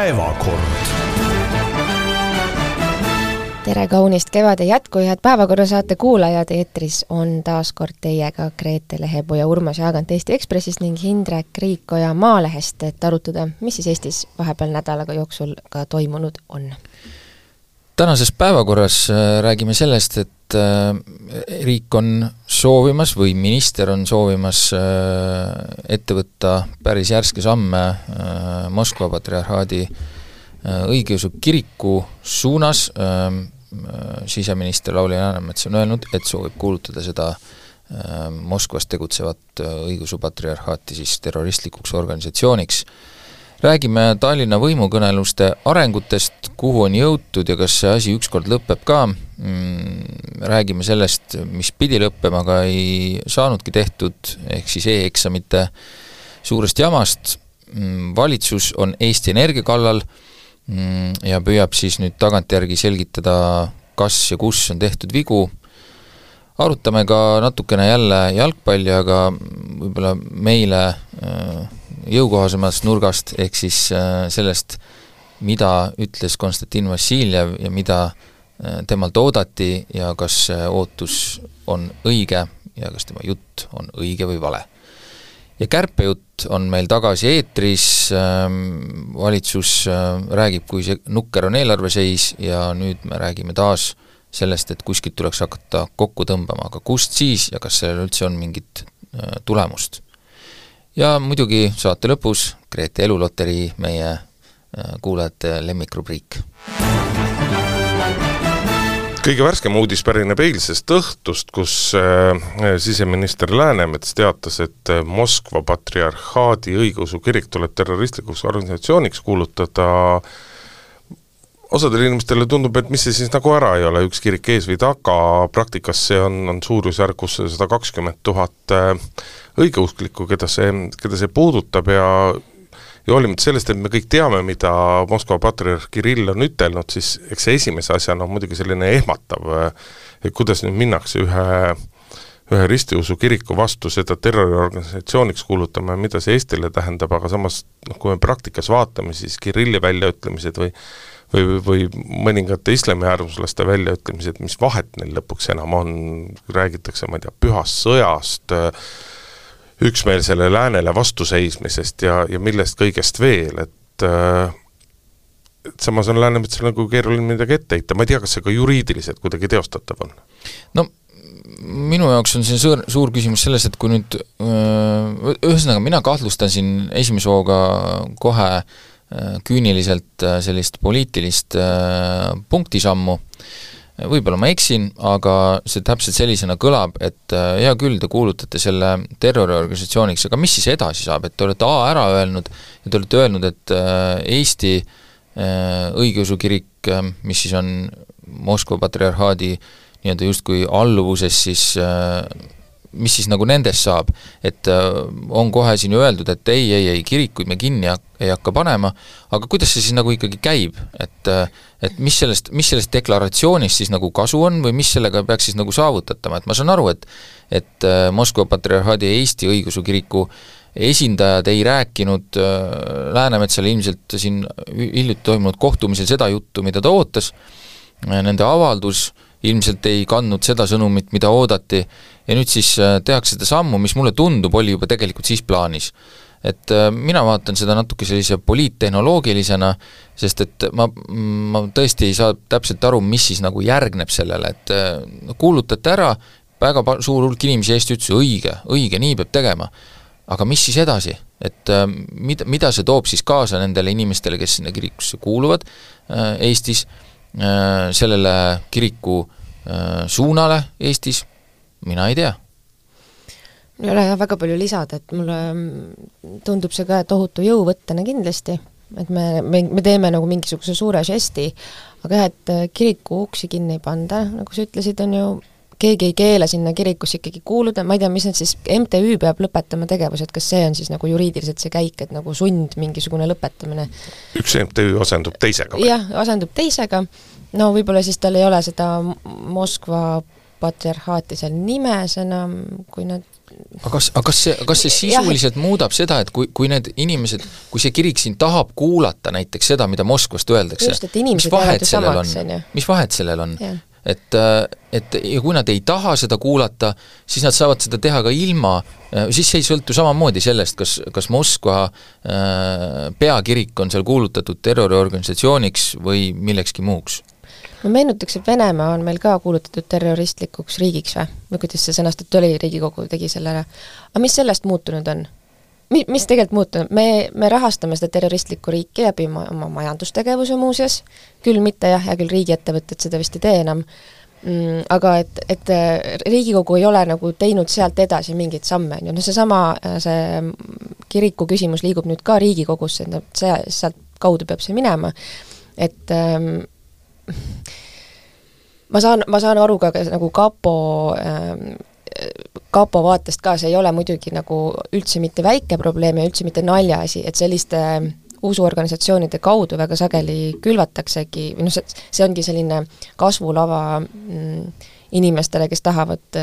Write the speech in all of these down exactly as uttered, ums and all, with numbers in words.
Päevakord. Tere kaunist kevade jätku, head päevakorra saate kuulajad, eetris on taas kord teiega Grete Lehepuu ja Urmas Jaagant Eesti Ekspressist ning Hindrek Riikoja Maalehest, et arutada, mis siis Eestis vahepeal nädalaga jooksul ka toimunud on. Tänases päevakorras räägime sellest, et riik on soovimas või minister on soovimas ette võtta päris järske samme Moskva patriarhaadi õigeusu kiriku suunas. Siseminister Lauri Läänemets on öelnud, et soovib kuulutada seda Moskvas tegutsevat õigeusu patriarhaati siis terroristlikuks organisatsiooniks. Räägime Tallinna võimukõneluste arengutest, kuhu on jõutud ja kas see asi ükskord lõpeb ka. Räägime sellest, mis pidi lõppema, aga ei saanudki tehtud, ehk siis e-eksamite suurest jamast. Valitsus on Eesti Energia kallal ja püüab siis nüüd tagantjärgi selgitada, kas ja kus on tehtud vigu. Arutame ka natukene jälle jalgpalli, aga võib-olla meile jõukohasemast nurgast, ehk siis sellest, mida ütles Konstantin Vassiljev ja mida temalt oodati ja kas see ootus on õige ja kas tema jutt on õige või vale. Ja kärpejutt on meil tagasi eetris, valitsus räägib, kui see nukker on eelarveseis ja nüüd me räägime taas sellest, et kuskilt tuleks hakata kokku tõmbama, aga kust siis ja kas sellel üldse on mingit tulemust. Ja muidugi saate lõpus Grete Eluloterii, meie kuulajate lemmikrubriik. Kõige värskem uudis pärineb eilsest õhtust, kus siseminister Läänemets teatas, et Moskva patriarhaadi õigeusu kirik tuleb terroristlikuks organisatsiooniks kuulutada. Osadele inimestele tundub, et mis see siis nagu ära ei ole, üks kirik ees või taga, praktikas see on, on suurusjärgus sada kakskümmend tuhat õigeusklikku, keda see, keda see puudutab ja Ja olimata sellest, et me kõik teame, mida Moskva patriarh Kirill on ütelnud, siis eks see esimese asjana on muidugi selline ehmatav, et kuidas nüüd minnakse ühe, ühe ristiusu kiriku vastu seda terroriorganisatsiooniks kuulutama, mida see Eestile tähendab, aga samas, noh, kui me praktikas vaatame, siis Kirilli väljaütlemised või, või, või mõningate islami äärmuslaste väljaütlemised, mis vahet neil lõpuks enam on, räägitakse, ma ei tea, pühast sõjast, üksmeelsele läänele vastuseismisest ja, ja millest kõigest veel, et, et samas on Läänemetsal nagu keeruline midagi ette heita. Ma ei tea, kas see ka juriidiliselt kuidagi teostatav on? No, minu jaoks on see suur, suur küsimus selles, et kui nüüd ühesõnaga mina kahtlustan siin esimese hooga kohe küüniliselt sellist poliitilist punktisammu. Võib-olla ma eksin, aga see täpselt sellisena kõlab, et hea küll, te kuulutate selle terroriorganisatsiooniks, aga mis siis edasi saab, et te olete A ära öelnud ja te olete öelnud, et Eesti õigeusu kirik, mis siis on Moskva patriarhaadi nii-öelda justkui alluvuses, siis mis siis nagu nendest saab, et on kohe siin öeldud, et ei, ei, ei, kirikuid me kinni ei hakka panema, aga kuidas see siis nagu ikkagi käib, et, et mis sellest, mis sellest deklaratsioonist siis nagu kasu on või mis sellega peaks siis nagu saavutatama, et ma saan aru, et, et Moskva patriarhaadi ja Eesti õigeusu kiriku esindajad ei rääkinud Läänemetsale ilmselt siin hiljuti toimunud kohtumisel seda juttu, mida ta ootas, nende avaldus ilmselt ei kandnud seda sõnumit, mida oodati ja nüüd siis tehakse seda sammu, mis mulle tundub, oli juba tegelikult siis plaanis. Et mina vaatan seda natuke sellise poliittehnoloogilisena, sest et ma, ma tõesti ei saa täpselt aru, mis siis nagu järgneb sellele, et kuulutate ära, väga suur hulk inimesi Eesti ütles, õige, õige, nii peab tegema, aga mis siis edasi, et mida, mida see toob siis kaasa nendele inimestele, kes sinna kirikusse kuuluvad Eestis, sellele kiriku suunale Eestis, mina ei tea. Ei ole väga palju lisada, et mulle tundub see ka tohutu jõuvõttena kindlasti, et me, me, me teeme nagu mingisuguse suure žesti, aga jah, et kiriku uksi kinni ei panda, nagu sa ütlesid, on ju, keegi ei keela sinna kirikusse ikkagi kuuluda, ma ei tea, mis need siis, M T Ü peab lõpetama tegevused, kas see on siis nagu juriidiliselt see käik, et nagu sund mingisugune lõpetamine? Üks M T Ü asendub teisega? Jah, asendub teisega, no võib-olla siis tal ei ole seda Moskva patriarhaati seal nimes enam, kui nad aga kas, aga kas see, kas see sisuliselt jah. muudab seda, et kui, kui need inimesed, kui see kirik siin tahab kuulata näiteks seda, mida Moskvast öeldakse, just, mis vahet sellel on? Mis vahet sellel on? Et, et ja kui nad ei taha seda kuulata, siis nad saavad seda teha ka ilma, siis see ei sõltu samamoodi sellest, kas, kas Moskva peakirik on seal kuulutatud terroriorganisatsiooniks või millekski muuks. Ma meenutaks, et Venemaa on meil ka kuulutatud terroristlikuks riigiks või? Või kuidas see sõnastatud oli, Riigikogu tegi sellele. Aga mis sellest muutunud on? Mi, mis tegelikult muutunud? Me, me rahastame seda terroristlikku riiki läbi oma majandustegevuse muuseas, küll mitte jah, ja küll riigiettevõtted seda vist ei tee enam, mm, aga et, et Riigikogu ei ole nagu teinud sealt edasi mingeid samme. No see sama, see kiriku küsimus liigub nüüd ka Riigikogusse, et see, sealt kaudu peab see minema, et ähm, ma saan, ma saan aru ka nagu kapo ähm, kapo vaatest ka, see ei ole muidugi nagu üldse mitte väike probleem ja üldse mitte naljaasi, et selliste usuorganisatsioonide kaudu väga sageli külvataksegi, või noh, see, see ongi selline kasvulava mm, inimestele, kes tahavad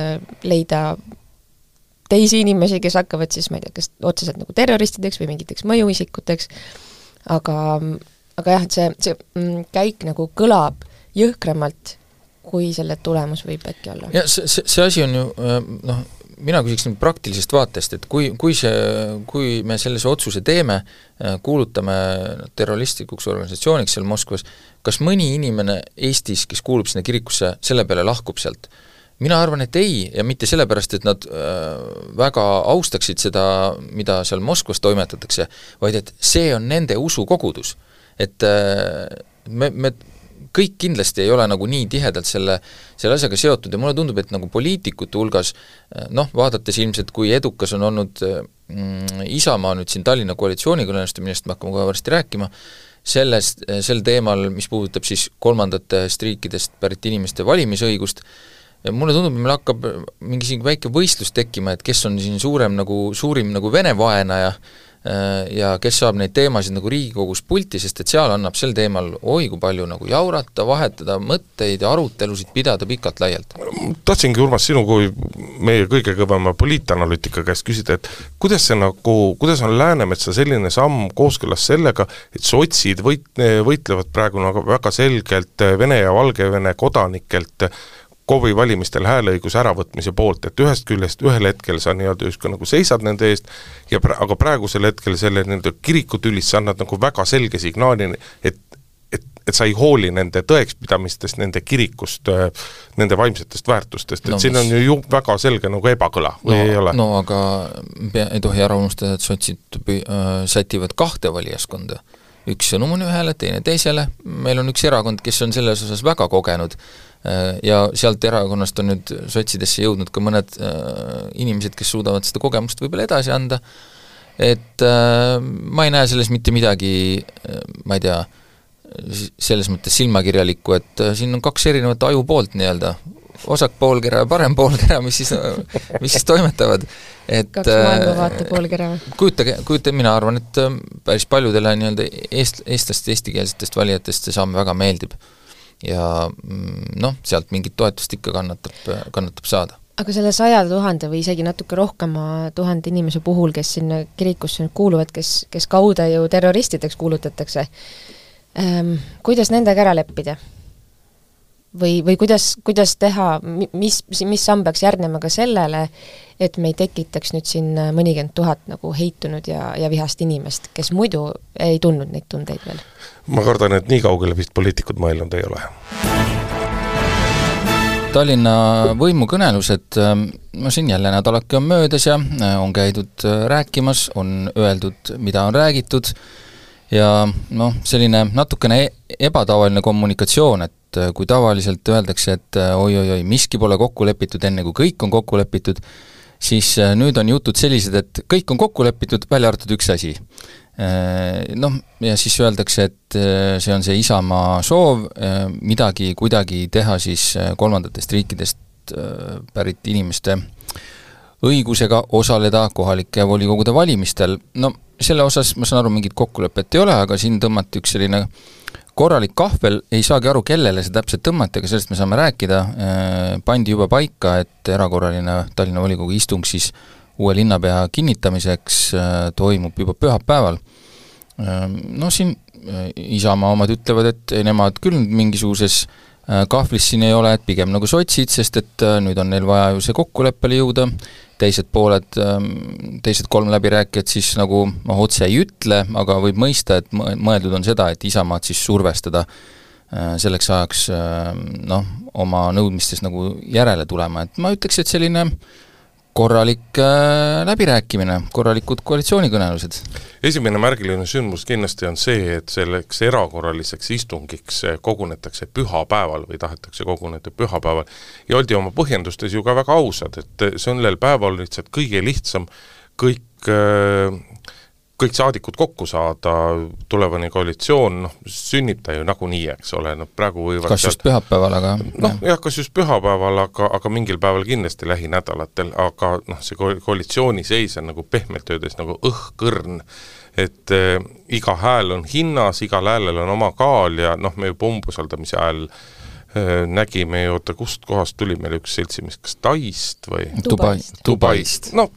leida teisi inimesi, kes hakkavad siis, ma ei tea, kes otseselt nagu terroristideks või mingiteks mõjuisikuteks, aga, aga jah, et see, see mm, käik nagu kõlab jõhkramalt, kui selle tulemus võib äkki olla. Ja see, see, see asi on ju, noh, mina küsiks nüüd praktilisest vaatest, et kui, kui, see, kui me sellise otsuse teeme, kuulutame terroristlikuks organisatsiooniks seal Moskvas, kas mõni inimene Eestis, kes kuulub sinna kirikusse, selle peale lahkub sealt? Mina arvan, et ei, ja mitte sellepärast, et nad väga austaksid seda, mida seal Moskvas toimetatakse, vaid et see on nende usukogudus. Et me, me kõik kindlasti ei ole nagu nii tihedalt selle, selle asjaga seotud ja mulle tundub, et nagu poliitikute hulgas, noh, vaadates ilmselt, kui edukas on olnud mm, Isamaa nüüd siin Tallinna koalitsioonikõneluste, millest me hakkame kohe varsti rääkima, sellest, sel teemal, mis puudutab siis kolmandatest riikidest pärit inimeste valimisõigust, mulle tundub, et meil hakkab mingi siin väike võistlus tekkima, et kes on siin suurem nagu, suurim nagu Vene vaenaja ja kes saab neid teemasid nagu Riigikogus pulti, sest et seal annab sel teemal oi kui palju nagu jaurata, vahetada mõtteid ja arutelusid pidada pikalt laialt. Tahtsingi, Urmas, sinu kui meie kõige kõvema poliitanalüütika käest küsida, et kuidas see nagu, kuidas on Läänemetsa selline samm kooskõlas sellega, et sotsid võit, võitlevad praegu nagu väga selgelt Vene ja Valgevene kodanikelt KOV-i valimistel hääleõiguse äravõtmise poolt, et ühest küljest ühel hetkel sa nii-öelda justkui nagu seisad nende eest, ja pra- aga praegusel hetkel selle nende kirikutülis sa annad nagu väga selge signaali, et, et, et sa ei hooli nende tõekspidamistest, nende kirikust, nende vaimsetest väärtustest, et no, siin on ju väga selge nagu ebakõla, või no, ei ole? No aga pea, ei tohi ära unustada, et sotsid äh, sätivad kahte valijaskonda. Üks sõnum on ühele, teine teisele, meil on üks erakond, kes on selles osas väga kogenud, ja sealt erakonnast on nüüd sotsidesse jõudnud ka mõned äh, inimesed, kes suudavad seda kogemust võib-olla edasi anda, et äh, ma ei näe selles mitte midagi, äh, ma ei tea, selles mõttes silmakirjalikku, et äh, siin on kaks erinevat aju poolt nii-öelda, osak poolkera ja parem poolkera, mis siis, mis siis toimetavad. Et, kaks maailmavaate poolkera. Kujutage, kujutage, mina arvan, et äh, päris paljudele nii-öelda eest, eestlast, eestikeelsetest valijatest see samm väga meeldib. Ja noh, sealt mingit toetust ikka kannatab, kannatab saada. Aga selle saja tuhande või isegi natuke rohkema tuhande inimese puhul, kes sinna kirikusse kuuluvad, kes, kes kaude ju terroristideks kuulutatakse, ähm, kuidas nendega ära leppida? Või, või kuidas, kuidas teha, mis, mis samm peaks järgnema ka sellele, et me ei tekitaks nüüd siin mõnikümmend tuhat nagu heitunud ja, ja vihast inimest, kes muidu ei tundnud neid tundeid veel? Ma kardan, et nii kaugele vist poliitikud mõelnud ei ole. Tallinna võimukõnelused, no siin jälle nädalake on möödas ja on käidud rääkimas, on öeldud, mida on räägitud ja noh, selline natukene ebatavaline kommunikatsioon, et kui tavaliselt öeldakse, et oi-oi-oi, miski pole kokku lepitud enne, kui kõik on kokku lepitud, siis nüüd on jutud sellised, et kõik on kokku lepitud, välja arvatud üks asi. Noh, ja siis öeldakse, et see on see Isamaa soov midagi kuidagi teha siis kolmandatest riikidest pärit inimeste õigusega osaleda kohalike volikogude valimistel. No selle osas ma saan aru, mingit kokkulepet ei ole, aga siin tõmmati üks selline korralik kahvel, ei saagi aru, kellele see täpselt tõmmati, aga sellest me saame rääkida, pandi juba paika, et erakorraline Tallinna volikogu istung siis uue linnapea kinnitamiseks toimub juba pühapäeval. No siin Isamaa omad ütlevad, et nemad küll mingisuguses kahvlis siin ei ole, et pigem nagu sotsid, sest et nüüd on neil vaja ju see kokkuleppele jõuda, teised pooled, teised kolm läbirääkijad siis nagu noh, otse ei ütle, aga võib mõista, et mõeldud on seda, et Isamaad siis survestada selleks ajaks noh, oma nõudmistes nagu järele tulema, et ma ütleks, et selline korralik äh, läbirääkimine, korralikud koalitsioonikõnelused. Esimene märgiline sündmus kindlasti on see, et selleks erakorraliseks istungiks kogunetakse pühapäeval või tahetakse koguneda pühapäeval ja oldi oma põhjendustes ju ka väga ausad, et sellel päeval lihtsalt kõige lihtsam kõik äh, kõik saadikud kokku saada, tulevane koalitsioon, noh, sünnib ta ju nagunii, eks ole, no praegu võivad kas just pühapäeval, aga noh, jah, kas just pühapäeval, aga, aga mingil päeval kindlasti lähinädalatel, aga noh, see koalitsiooni seis on nagu pehmelt öeldes nagu õhkõrn, et äh, iga hääl on hinnas, igal häälel on oma kaal ja noh, me juba umbusaldamise hääl äh, nägime ju, oota, kust kohast tuli meil üks seltsimees, kas Taist või? Dubaist. Dubaist, no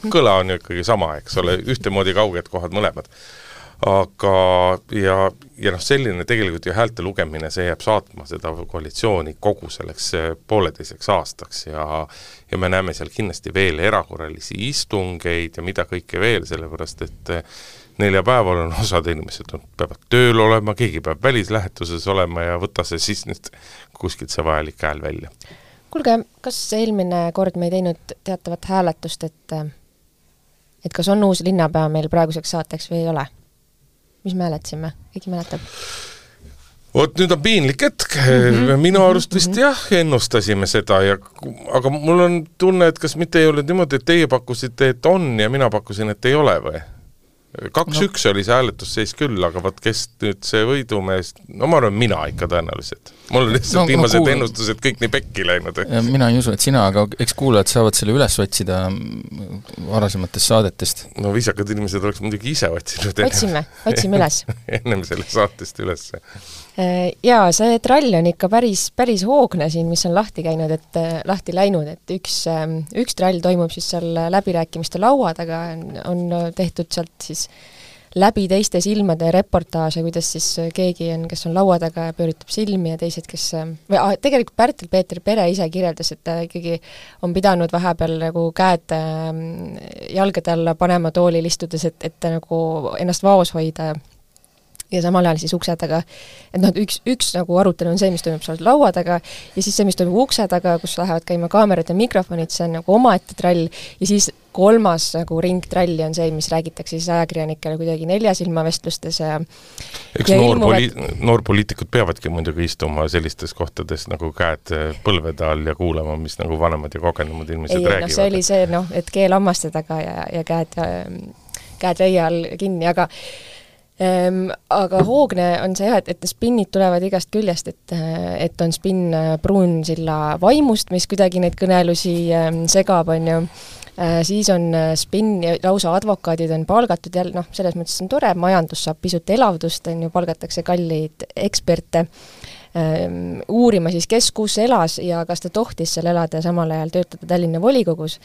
kõla on ju ikkagi sama, eks ole, ühtemoodi kauged kohad mõlemad. Aga ja, ja noh, selline tegelikult ju häälte lugemine, see jääb saatma seda koalitsiooni kogu selleks pooleteiseks aastaks ja, ja me näeme seal kindlasti veel erakorralisi istungeid ja mida kõike veel, sellepärast et neljapäeval on osad inimesed on, peavad tööl olema, keegi peab välislähetuses olema ja võtta see siis nüüd kuskilt see vajalik hääl välja. Kuulge, kas eelmine kord me ei teinud teatavat hääletust, et, et kas on uus linnapea meil praeguseks saateks või ei ole? Mis me hääletasime? Keegi mäletab? Oot, nüüd on piinlik hetk. Mm-hmm. Minu arust vist mm-hmm. jah, ennustasime seda, ja, aga mul on tunne, et kas mitte ei ole niimoodi, et teie pakkusite, et on ja mina pakkusin, et ei ole või? Kaks no. üks oli see hääletusseis küll, aga vaat kes nüüd see võidumees, no ma arvan, mina ikka tõenäoliselt. Mul on lihtsalt no, viimased no, kuul... ennustused kõik nii pekki läinud. Mina ei usu, et sina, aga eks kuulajad saavad selle üles otsida varasematest saadetest. No viisakad inimesed oleks muidugi ise otsinud. Otsime, otsime üles. Ennem selle saatest üles. Jaa, see trall on ikka päris, päris hoogne siin, mis on lahti käinud, et lahti läinud, et üks, üks trall toimub siis seal läbirääkimiste laua taga, on tehtud sealt siis läbi teiste silmade reportaaže, kuidas siis keegi on, kes on laua taga ja pööritab silmi ja teised, kes või ah, tegelikult Pärtel-Peeter Pere ise kirjeldas, et ta ikkagi on pidanud vahepeal nagu käed jalgade alla panema toolil istudes, et, et nagu ennast vaos hoida ja samal ajal siis ukse taga, et noh, üks, üks nagu arutelu on see, mis toimub seal laua taga ja siis see, mis toimub ukse taga, kus lähevad käima kaamerad ja mikrofonid, see on nagu omaette trall ja siis kolmas nagu ringtralli on see, mis räägitakse siis ajakirjanikele kuidagi neljasilmavestlustes ja eks ja noor, ilmuvad... poli- noor poliitikud peavadki muidugi istuma sellistes kohtades nagu käed põlvede all ja kuulama, mis nagu vanemad ja kogenumad inimesed ei, räägivad. No, see oli see, noh, et keel hammaste taga ja, ja käed, käed reia all kinni, aga Ehm, aga hoogne on see, et, et spinnid tulevad igast küljest, et, et on spinn Pruunsilla vaimust, mis kuidagi neid kõnelusi ehm, segab, on ju. Ehm, siis on spinn ja lausa advokaadid on palgatud jälle, noh, selles mõttes on tore, majandus saab pisut elavdust, on ju, palgatakse kalleid eksperte ehm, uurima siis, kes kus elas ja kas ta tohtis seal elada ja samal ajal töötada Tallinna volikogus.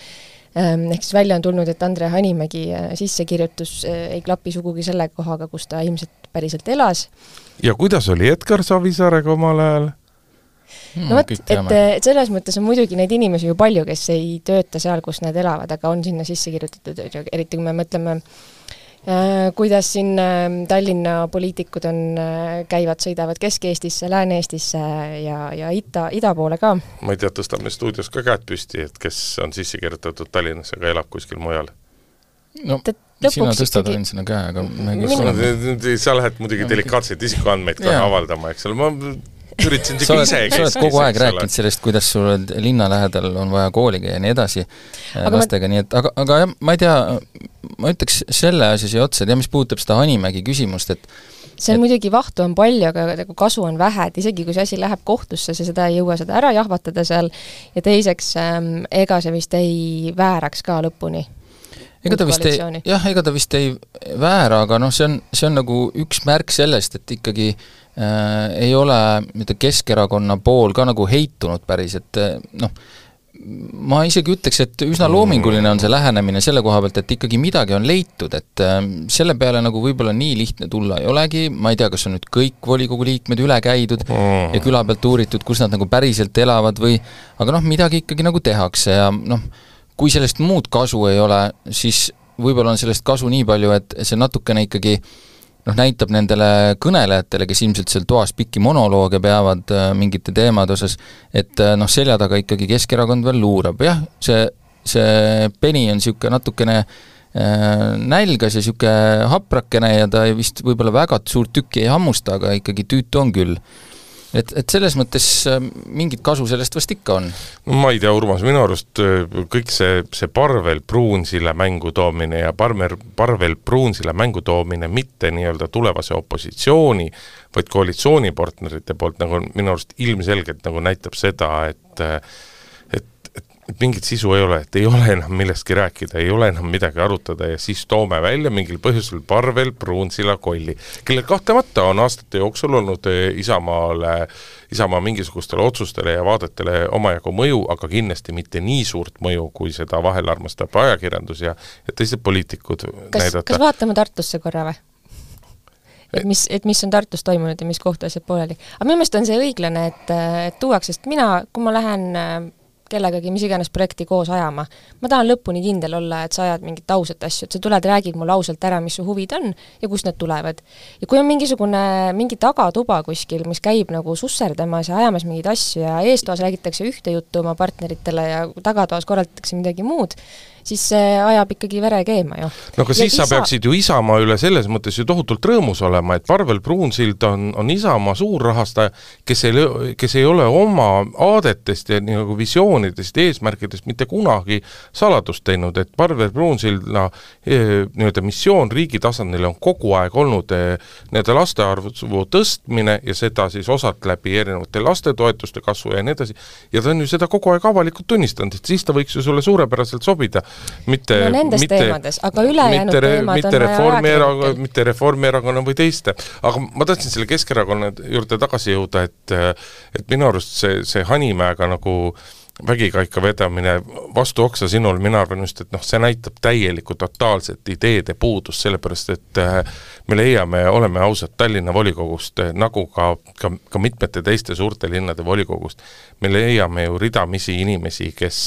Ehk siis välja on tulnud, et Andre Hanimägi sissekirjutus ei klapi sugugi selle kohaga, kus ta ilmselt päriselt elas. Ja kuidas oli Edgar Savisaarega omal ajal? No võt, et, et selles mõttes on muidugi neid inimesi ju palju, kes ei tööta seal, kus nad elavad, aga on sinna sisse kirjutatud, eriti kui me mõtleme, äh, kuidas siin äh, Tallinna poliitikud on, äh, käivad, sõidavad Kesk-Eestisse, Lääne-Eestisse ja, ja ida, ida poole ka. Ma ei tea, tõstame stuudios ka käed püsti, et kes on sisse kirjutatud Tallinnas, aga elab kuskil mujal. No, sina tõstad ikkagi... sinna käe, aga Minu... sa lähed muidugi delikaatseid isikuandmeid ka avaldama, eks ole, ma üritasin sa oled, ise sa oled kogu aeg rääkinud sellest, kuidas sul linna lähedal on vaja kooliga ja nii edasi aga lastega, ma... nii et, aga, aga jah, ma ei tea, ma ütleks selle asja siia otsa, et jah, mis puudutab seda Hanimägi küsimust, et see on et... muidugi vahtu on palju, aga kasu on vähe, et isegi kui see asi läheb kohtusse, see seda ei jõua seda ära jahvatada seal ja teiseks, ähm, ega see vist ei vääraks ka lõpuni. ega ta vist ei, jah, ega ta vist ei väära, aga noh, see on, see on nagu üks märk sellest, et ikkagi äh, ei ole mida Keskerakonna pool ka nagu heitunud päris, et noh, ma isegi ütleks, et üsna loominguline on see lähenemine selle koha pealt, et ikkagi midagi on leitud, et äh, selle peale nagu võib-olla nii lihtne tulla ei olegi, ma ei tea, kas on nüüd kõik volikogu liikmed üle käidud mm. ja küla pealt uuritud, kus nad nagu päriselt elavad või, aga noh, midagi ikkagi nagu tehakse ja noh, kui sellest muud kasu ei ole, siis võib-olla on sellest kasu nii palju, et see natukene ikkagi noh, näitab nendele kõnelejatele, kes ilmselt seal toas pikki monolooge peavad äh, mingite teemade osas, et äh, noh, selja taga ikkagi Keskerakond veel luurab. Jah, see, see peni on niisugune natukene äh, nälgas ja niisugune haprakene ja ta vist võib-olla väga suurt tükki ei hammusta, aga ikkagi tüütu on küll. Et, et selles mõttes mingit kasu sellest vast ikka on. No ma ei tea, Urmas, minu arust kõik see, see Parvel Pruunsilla mängu toomine ja Parvel, Parvel Pruunsilla mängu toomine mitte nii-öelda tulevase opositsiooni, vaid koalitsioonipartnerite poolt nagu minu arust ilmselgelt nagu näitab seda, et et mingit sisu ei ole, et ei ole enam millestki rääkida, ei ole enam midagi arutada ja siis toome välja mingil põhjusel Parvel Pruunsilla kolli, kellel kahtlemata on aastate jooksul olnud Isamaale, Isamaa mingisugustele otsustele ja vaadetele omajagu mõju, aga kindlasti mitte nii suurt mõju, kui seda vahel armastab ajakirjandus ja, ja teised poliitikud kas, näidata. Kas vaatame Tartusse korra või? Et mis, et mis on Tartus toimunud ja mis kohta asjad pooleli. Aga minu meelest on see õiglane, et, et tuuaks, sest mina, kui ma lähen kellegagi mis iganes projekti koos ajama. Ma tahan lõpuni kindel olla, et sa ajad mingit ausat asju, et sa tuled, räägid mulle ausalt ära, mis su huvid on ja kust need tulevad. Ja kui on mingisugune, mingi tagatuba kuskil, mis käib nagu susserdamas ja ajamas mingeid asju ja eestoas räägitakse ühte juttu oma partneritele ja tagatoas korraldatakse midagi muud, siis see ajab ikkagi vere keema ju. No aga siis isa... sa peaksid ju Isamaa üle selles mõttes ju tohutult rõõmus olema, et Parvel Pruunsild on, on Isamaa suurrahastaja, kes ei, kes ei ole oma aadetest ja nagu visioonidest ja eesmärkidest mitte kunagi saladust teinud, et Parvel Pruunsilda nii-öelda missioon riigi tasandil on kogu aeg olnud nii-öelda laste arvu tõstmine ja seda siis osalt läbi erinevate lastetoetuste kasvu ja nii edasi. Ja ta on ju seda kogu aeg avalikult tunnistanud, et siis ta võiks ju sulle suurepäraselt sobida. Mitte, no nendes mitte, teemades, aga ülejäänud mitte, teemad mitte on Reformierakonna, mitte Reformierakonna või teiste. Aga ma tahtsin selle Keskerakonna juurde tagasi jõuda, et, et minu arust see, see Hanimäega nagu vägikaika vedamine vastu oksa sinul, mina arvan just, et noh, see näitab täielikku totaalset ideede puudust, sellepärast, et me leiame, oleme ausad Tallinna volikogust, nagu ka, ka, ka mitmete teiste suurte linnade volikogust, me leiame ju ridamisi inimesi, kes,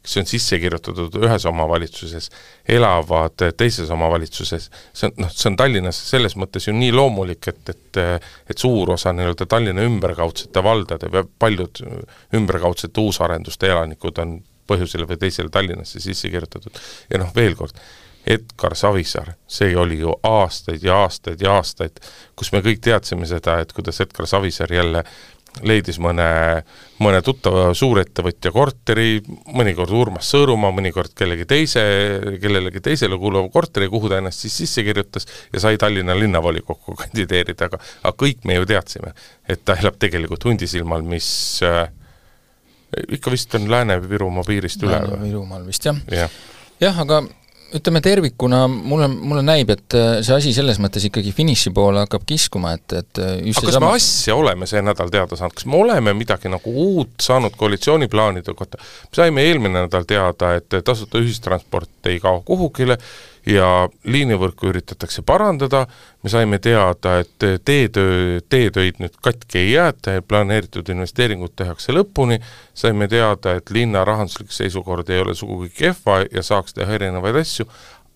kes on sisse kirjutatud ühes omavalitsuses, elavad teises omavalitsuses. See on, noh, see on Tallinnas selles mõttes ju nii loomulik, et, et, et suur osa nii-öelda Tallinna ümberkaudsete valdade või paljud ümberkaudsete uusarenduste elanikud on põhjusele või teisele Tallinnasse sisse kirjutatud. Ja noh, veel kord, Edgar Savisaar, see oli ju aastaid ja aastaid ja aastaid, kus me kõik teadsime seda, et kuidas Edgar Savisaar jälle leidis mõne, mõne tuttava suurettevõtja korteri, mõnikord Urmas Sõõrumaa, mõnikord kellegi teise, kellelegi teisele kuuluva korteri, kuhu ta ennast siis sisse kirjutas ja sai Tallinna linnavolikokku kandideerida, aga, aga kõik me ju teadsime, et ta elab tegelikult Hundisilmal, mis äh, ikka vist on Lääne-Virumaa piirist üle. Lääne-Virumaal vist, jah. Ja. jah, aga ütleme tervikuna, mulle, mulle näib, et see asi selles mõttes ikkagi finiši poole hakkab kiskuma, et, et just aga kas sama... me asja oleme see nädal teada saanud? Kas me oleme midagi nagu uut saanud koalitsiooniplaanide kohta? Me saime eelmine nädal teada, et tasuta ühistransport ei kao kuhugile ja liinivõrku üritatakse parandada, me saime teada, et teetöö, teetöid nüüd katki ei jääta ja planeeritud investeeringud tehakse lõpuni, saime teada, et linna rahanduslik seisukord ei ole sugugi kehva ja saaks teha erinevaid asju,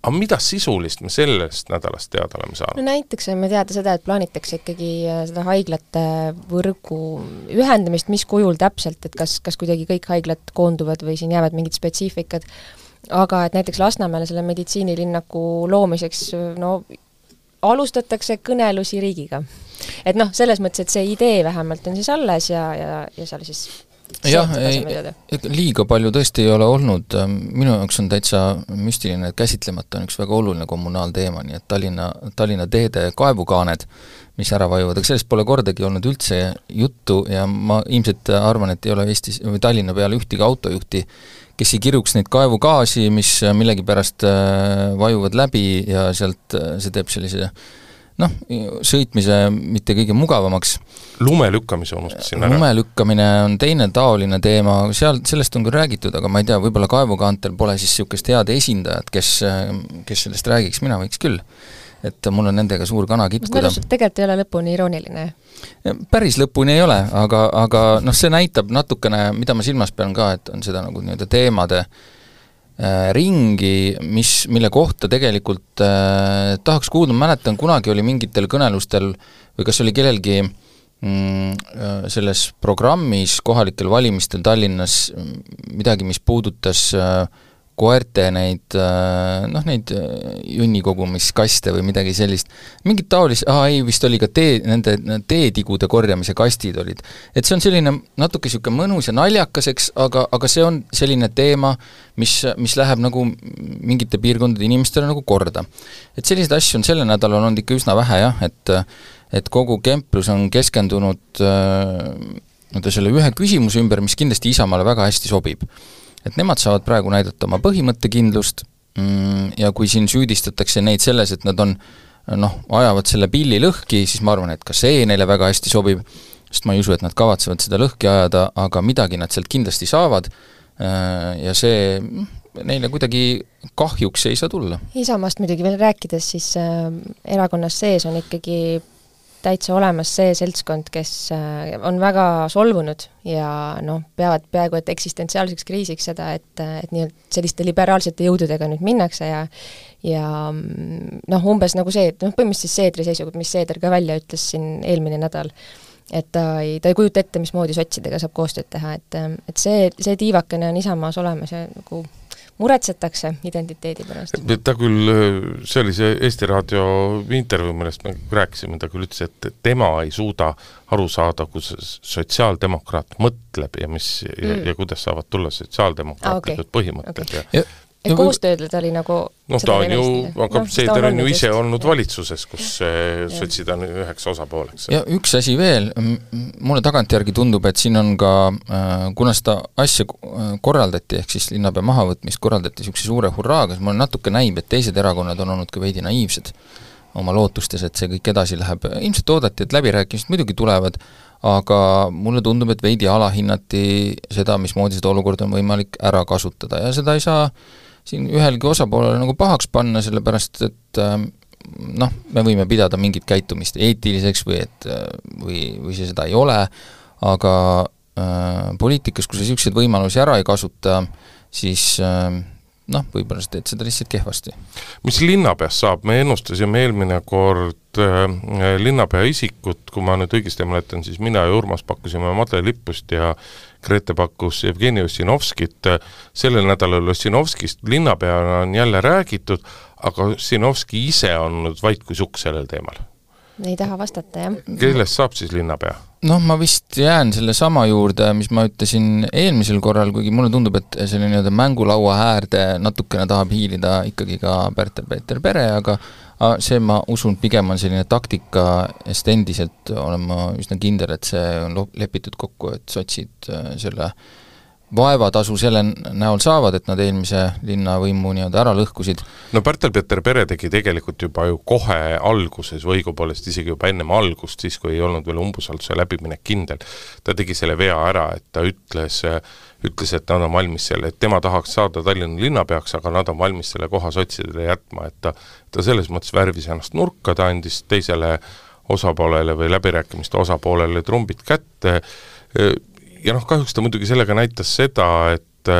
aga mida sisulist me sellest nädalast teada oleme saanud? No näiteks saime teada seda, et plaanitakse ikkagi seda haiglate võrgu ühendamist, mis kujul täpselt, et kas, kas kuidagi kõik haiglad koonduvad või siin jäävad mingid spetsiifikad, aga et näiteks Lasnamäele selle meditsiinilinnaku loomiseks no, alustatakse kõnelusi riigiga. Et noh, selles mõttes, et see idee vähemalt on siis alles ja, ja, ja seal siis jah, ei, liiga palju tõesti ei ole olnud, minu jaoks on täitsa müstiline, et käsitlemata on üks väga oluline kommunaalteema, nii et Tallinna, Tallinna teede kaevukaaned, mis ära vajuvad, aga sellest pole kordagi olnud üldse juttu ja ma ilmselt arvan, et ei ole Eestis või Tallinna peale ühtegi autojuhti, kes ei kiruks neid kaevugaasi, mis millegi pärast vajuvad läbi ja sealt see teeb sellise noh, sõitmise mitte kõige mugavamaks. Lume lükkamise unustasin ära. Lume lükkamine on teine taoline teema, seal, sellest on küll räägitud, aga ma ei tea, võib-olla kaevukaantel pole siis niisugust head esindajat, kes, kes sellest räägiks, mina võiks küll. Et mul on nendega suur kana kitkuda. Tegelikult ei ole lõpuni irooniline. Päris lõpuni ei ole, aga, aga noh, see näitab natukene, mida ma silmas pean ka, et on seda nagu nii-öelda teemade äh, ringi, mis, mille kohta tegelikult äh, tahaks kuulda, ma mäletan, kunagi oli mingitel kõnelustel või kas oli kellelgi mm, selles programmis kohalikel valimistel Tallinnas midagi, mis puudutas äh, koerte neid, noh, neid junnikogumiskaste või midagi sellist. Mingid taolis, aa ei, vist oli ka tee, nende teetigude korjamise kastid olid. Et see on selline natuke siuke mõnus ja naljakaseks, aga, aga see on selline teema, mis, mis läheb nagu mingite piirkondade inimestele nagu korda. Et sellised asju on selle nädalal olnud ikka üsna vähe, jah, et, et kogu kemplus on keskendunud äh, selle ühe küsimuse ümber, mis kindlasti Isamaale väga hästi sobib. Et nemad saavad praegu näidata oma põhimõttekindlust ja kui siin süüdistatakse neid selles, et nad on, noh, ajavad selle pilli lõhki, siis ma arvan, et ka see neile väga hästi sobib, sest ma ei usu, et nad kavatsevad seda lõhki ajada, aga midagi nad sealt kindlasti saavad ja see neile kuidagi kahjuks ei saa tulla. Isamaast muidugi veel rääkides, siis äh, erakonnas sees on ikkagi täitsa olemas see seltskond, kes on väga solvunud ja noh, peavad peaaegu et eksistentsiaalseks kriisiks seda, et, et nii, selliste liberaalsete jõududega nüüd minnakse ja ja noh, umbes nagu see, et noh, põhimõtteliselt Seedri seisukoht, mis Seeder ka välja ütles siin eelmine nädal, et ta ei, ta ei kujuta ette, mismoodi sotsidega saab koostööd teha, et, et see, see tiivakene on Isamaas olemas ja nagu muretsetakse identiteedi pärast. Ta küll, see oli see Eesti Raadio intervjuu, millest me rääkisime, ta küll ütles, et tema ei suuda aru saada, kus sotsiaaldemokraat mõtleb ja, mis, mm. ja, ja kuidas saavad tulla sotsiaaldemokraatlikud ah, okay. põhimõtted. Okay. Ja, et koostöödle ta oli nagu noh, ta on ju, aga no, Seeder on ju ise olnud valitsuses, kus sotsid on üheks osapooleks. Ja üks asi veel, mulle tagantjärgi tundub, et siin on ka, kuna seda asja korraldati, ehk siis linnapea mahavõtmist korraldati niisuguse suure hurraaga, siis mulle natuke näib, et teised erakonnad on olnud ka veidi naiivsed oma lootustes, et see kõik edasi läheb. Ilmselt oodati, et läbirääkimised muidugi tulevad, aga mulle tundub, et veidi alahinnati seda, mismoodi seda olukorda on võimalik ära kasutada ja seda ei saa siin ühelgi osapoolele nagu pahaks panna, sellepärast et noh, me võime pidada mingit käitumist eetiliseks või et või, või see seda ei ole, aga äh, poliitikas, kui sa niisuguseid võimalusi ära ei kasuta, siis äh, noh, võib-olla sa teed seda lihtsalt kehvasti. Mis linnapeast saab? Me ennustasime eelmine kord äh, linnapea isikut, kui ma nüüd õigesti mäletan, siis mina ja Urmas pakkusime Madle Lippust ja Grete pakkus Jevgeni Ossinovskit. Sellel nädalal Ossinovskist linnapeana on jälle räägitud, aga Ossinovski ise on nüüd vaid kui sukk sellel teemal. Ei taha vastata, jah. Kellest saab siis linnapea? Noh, ma vist jään selle sama juurde, mis ma ütlesin eelmisel korral, kuigi mulle tundub, et selle nii-öelda mängulaua äärde natukene tahab hiilida ikkagi ka Pärtel-Peeter Pere, aga see, ma usun, pigem on selline taktika, sest endiselt olen ma üsna kindel, et see on lepitud kokku, et sotsid selle vaevatasu selle näol saavad, et nad eelmise linnavõimu nii-öelda ära lõhkusid. No Pärtel-Peeter Pere tegi tegelikult juba ju kohe alguses või õigupoolest isegi juba ennem algust, siis kui ei olnud veel umbusalduse läbiminek kindel. Ta tegi selle vea ära, et ta ütles, ütles, et nad on valmis selle, et tema tahaks saada Tallinna linnapeaks, aga nad on valmis selle koha sotsidele jätma, et ta, ta selles mõttes värvis ennast nurka, ta andis teisele osapoolele või läbirääkimiste osapoolele trumbid kätte. Ja noh, kahjuks ta muidugi sellega näitas seda, et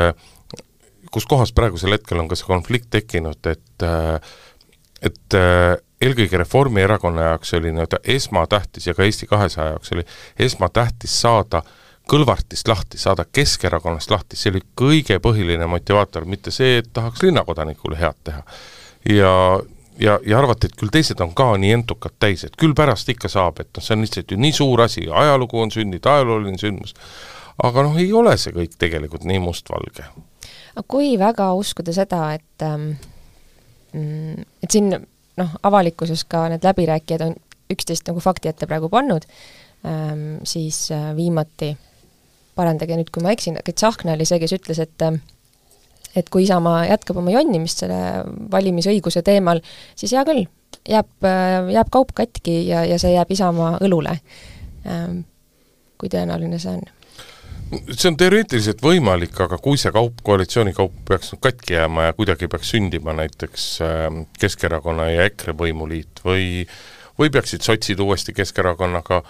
kus kohas praegusel hetkel on ka see konflikt tekkinud, et, et eelkõige Reformierakonna jaoks oli nii-öelda esmatähtis ja ka Eesti kahesaja jaoks oli esmatähtis saada Kõlvartist lahti, saada Keskerakonnast lahti, see oli kõige põhiline motivaator, mitte see, et tahaks linnakodanikule head teha. Ja Ja, ja arvati, et küll teised on ka nii entukad täis, et küll pärast ikka saab, et no, see on lihtsalt ju nii suur asi, ajalugu on sünnid, ajalooline sündmus, aga noh, ei ole see kõik tegelikult nii mustvalge. Kui väga uskuda seda, et, et siin noh, avalikkuses ka need läbirääkijad on üksteist nagu fakti ette praegu pannud, siis viimati, parandage nüüd, kui ma eksin, aga Tsahkna oli see, kes ütles, et et kui Isamaa jätkab oma jonnimist selle valimisõiguse teemal, siis hea küll, jääb, jääb kaup katki ja, ja see jääb Isamaa õlule. Kui tõenäoline see on? See on teoreetiliselt võimalik, aga kui see kaup, koalitsiooni kaup peaks katki jääma ja kuidagi peaks sündima näiteks Keskerakonna ja EKRE võimuliit või, või peaksid sotsid uuesti Keskerakonnaga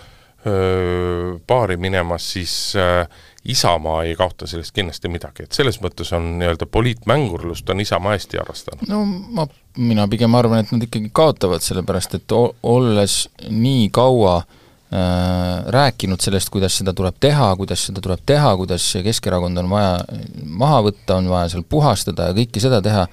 öö, paari minemas, siis öö, Isamaa ei kaota sellest kindlasti midagi, et selles mõttes on nii-öelda poliitmängurlust on Isamaa hästi harrastanud. No ma, mina pigem arvan, et nad ikkagi kaotavad, sellepärast et o- olles nii kaua äh, rääkinud sellest, kuidas seda tuleb teha, kuidas seda tuleb teha, kuidas Keskerakond on vaja maha võtta, on vaja seal puhastada ja kõike seda teha,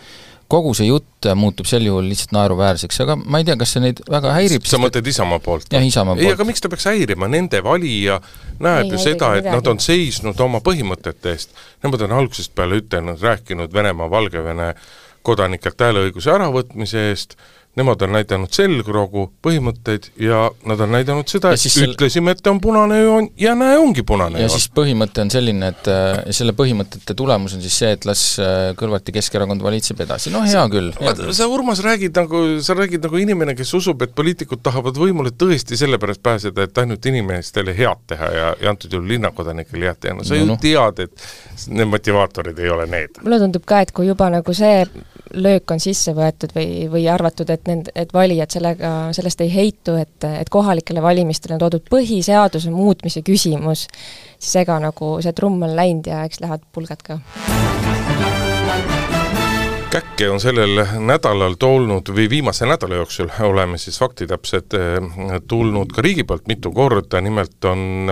kogu see jutt muutub sel juhul lihtsalt naeruväärseks, aga ma ei tea, kas see neid väga häirib. Sa mõtled Isamaa poolt? Jah, Isamaa poolt. Ei, aga miks ta peaks häirima? Nende valija näeb ei, ju seda, et midagi. Nad on seisnud oma põhimõtete eest. Nemad on algusest peale ütelnud, rääkinud Venemaa, Valgevene kodanikelt hääleõiguse äravõtmise eest, nemad on näidanud selgrogu põhimõtteid ja nad on näidanud seda, et sel... ütlesime, et on punane joon ja näe, ongi punane ja joon. Siis põhimõte on selline, et selle põhimõtete tulemus on siis see, et las Kõlvarti Keskerakond valitseb edasi. No hea sa, küll. Hea küll. Sa, Urmas, räägid nagu, sa räägid nagu inimene, kes usub, et poliitikud tahavad võimule tõesti sellepärast pääseda, et ainult inimestele head teha ja, ja antud juhul linnakodanikele head teha. No sa no, ju no. tead, et need motivaatorid ei ole need. Mulle tundub ka, et kui juba nagu see löök on sisse võetud või, või arvatud, et nend, et valijad sellega, sellest ei heitu, et, et kohalikele valimistele on toodud põhiseaduse muutmise küsimus, siis ega nagu see trumm on läinud ja eks lähevad pulgad ka. Käkke on sellel nädalal tolnud või viimase nädala jooksul oleme siis faktitäpsed tulnud ka riigi poolt mitu korda, nimelt on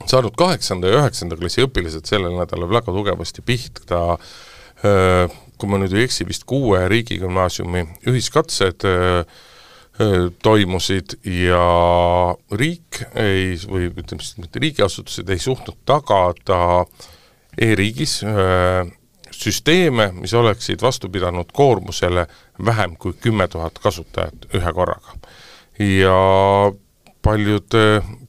saanud kaheksanda ja üheksanda klassi õpilased sellel nädalal väga tugevasti pihta, kui ma nüüd ei eksi, vist kuue riigigümnaasiumi ühiskatsed öö, öö, toimusid ja riik ei, või ütleme siis mitte riigiasutused ei suhtnud tagada e-riigis öö, süsteeme, mis oleksid vastu pidanud koormusele vähem kui kümme tuhat kasutajat ühe korraga. Ja paljud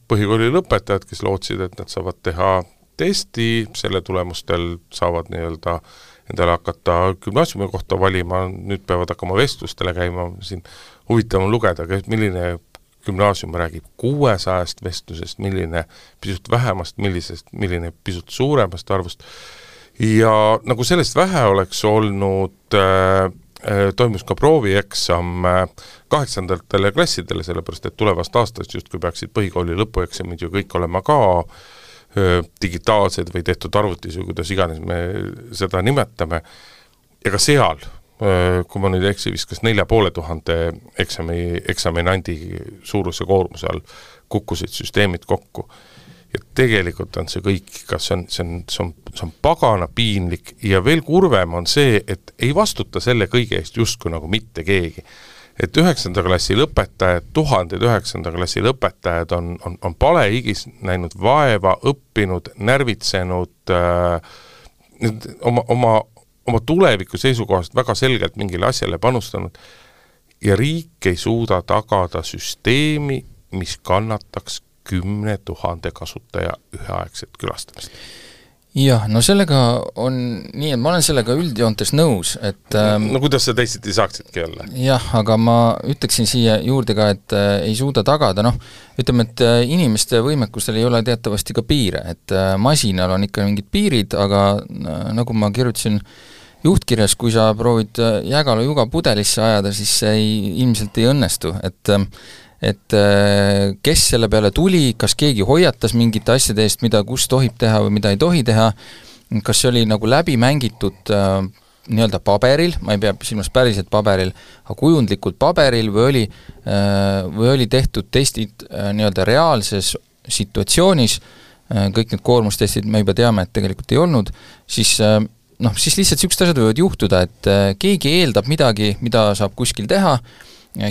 põhikooli lõpetajad, kes lootsid, et nad saavad teha testi, selle tulemustel saavad nii-öelda endale hakata gümnaasiumi kohta valima, nüüd peavad hakkama vestlustele käima, siin huvitav on lugeda, milline gümnaasium räägib kuuesajast vestlusest, milline pisut vähemast, millisest, milline pisut suuremast arvust. Ja nagu sellest vähe oleks olnud, äh, toimus ka proovieksam kaheksandatele klassidele, sellepärast et tulevast aastast just kui peaksid põhikooli lõpueksamid ju kõik olema ka digitaalsed või tehtud arvutis või kuidas iganes me seda nimetame. Ja ka seal, kui ma nüüd eksi, vist kas nelja poole tuhande eksami, eksaminandi suuruse koormuse all kukkusid süsteemid kokku. Ja tegelikult on see kõik, kas see on, see on, see on, see on pagana piinlik ja veel kurvem on see, et ei vastuta selle kõige eest justkui nagu mitte keegi. Et üheksanda klassi lõpetajad, tuhanded üheksanda klassi lõpetajad on, on, on palehigis näinud vaeva, õppinud, närvitsenud äh, oma, oma, oma tuleviku seisukohast väga selgelt mingile asjale panustanud ja riik ei suuda tagada süsteemi, mis kannataks kümne tuhande kasutaja üheaegset külastamist. Jah, no sellega on nii, et ma olen sellega üldjoontes nõus, et ähm, no kuidas sa teisiti saaksidki olla? Jah, aga ma ütleksin siia juurde ka, et äh, ei suuda tagada, noh, ütleme, et äh, inimeste võimekustel ei ole teatavasti ka piire, et äh, masinal on ikka mingid piirid, aga äh, nagu ma kirjutasin juhtkirjas, kui sa proovid äh, jägalu juga pudelisse ajada, siis see ei, ilmselt ei õnnestu, et äh, et kes selle peale tuli, kas keegi hoiatas mingite asjade eest, mida kus tohib teha või mida ei tohi teha, kas see oli nagu läbi mängitud äh, nii-öelda paberil, ma ei pea silmas päriselt paberil, aga kujundlikult paberil või oli, äh, või oli tehtud testid äh, nii-öelda reaalses situatsioonis, äh, kõik need koormustestid me juba teame, et tegelikult ei olnud, siis äh, noh, siis lihtsalt niisugused asjad võivad juhtuda, et äh, keegi eeldab midagi, mida saab kuskil teha,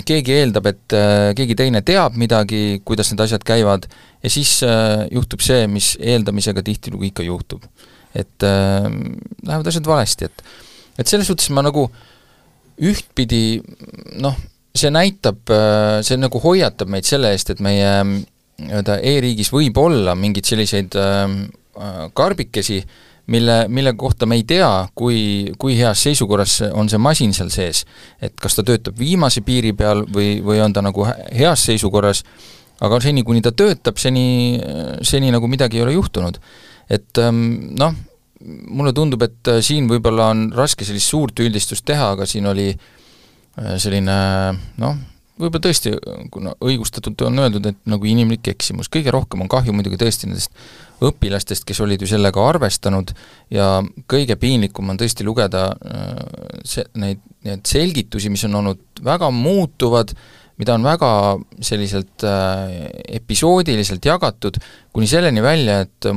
keegi eeldab, et äh, keegi teine teab midagi, kuidas need asjad käivad ja siis äh, juhtub see, mis eeldamisega tihtilugu ikka juhtub. Et äh, lähevad asjad valesti, et, et selles suhtes ma nagu ühtpidi, noh, see näitab, äh, see nagu hoiatab meid selle eest, et meie e-riigis võib olla mingeid selliseid äh, karbikesi, mille, mille kohta me ei tea, kui, kui heas seisukorras on see masin seal sees. Et kas ta töötab viimase piiri peal või, või on ta nagu heas seisukorras, aga seni, kuni ta töötab, seni, seni nagu midagi ei ole juhtunud. Et noh, mulle tundub, et siin võib-olla on raske sellist suurt üldistust teha, aga siin oli selline, noh, võib-olla tõesti, kuna õigustatult on öeldud, et nagu inimlik eksimus, kõige rohkem on kahju muidugi tõesti nendest õpilastest, kes olid ju sellega arvestanud ja kõige piinlikum on tõesti lugeda see, neid, neid selgitusi, mis on olnud väga muutuvad, mida on väga selliselt äh, episoodiliselt jagatud, kuni selleni välja, et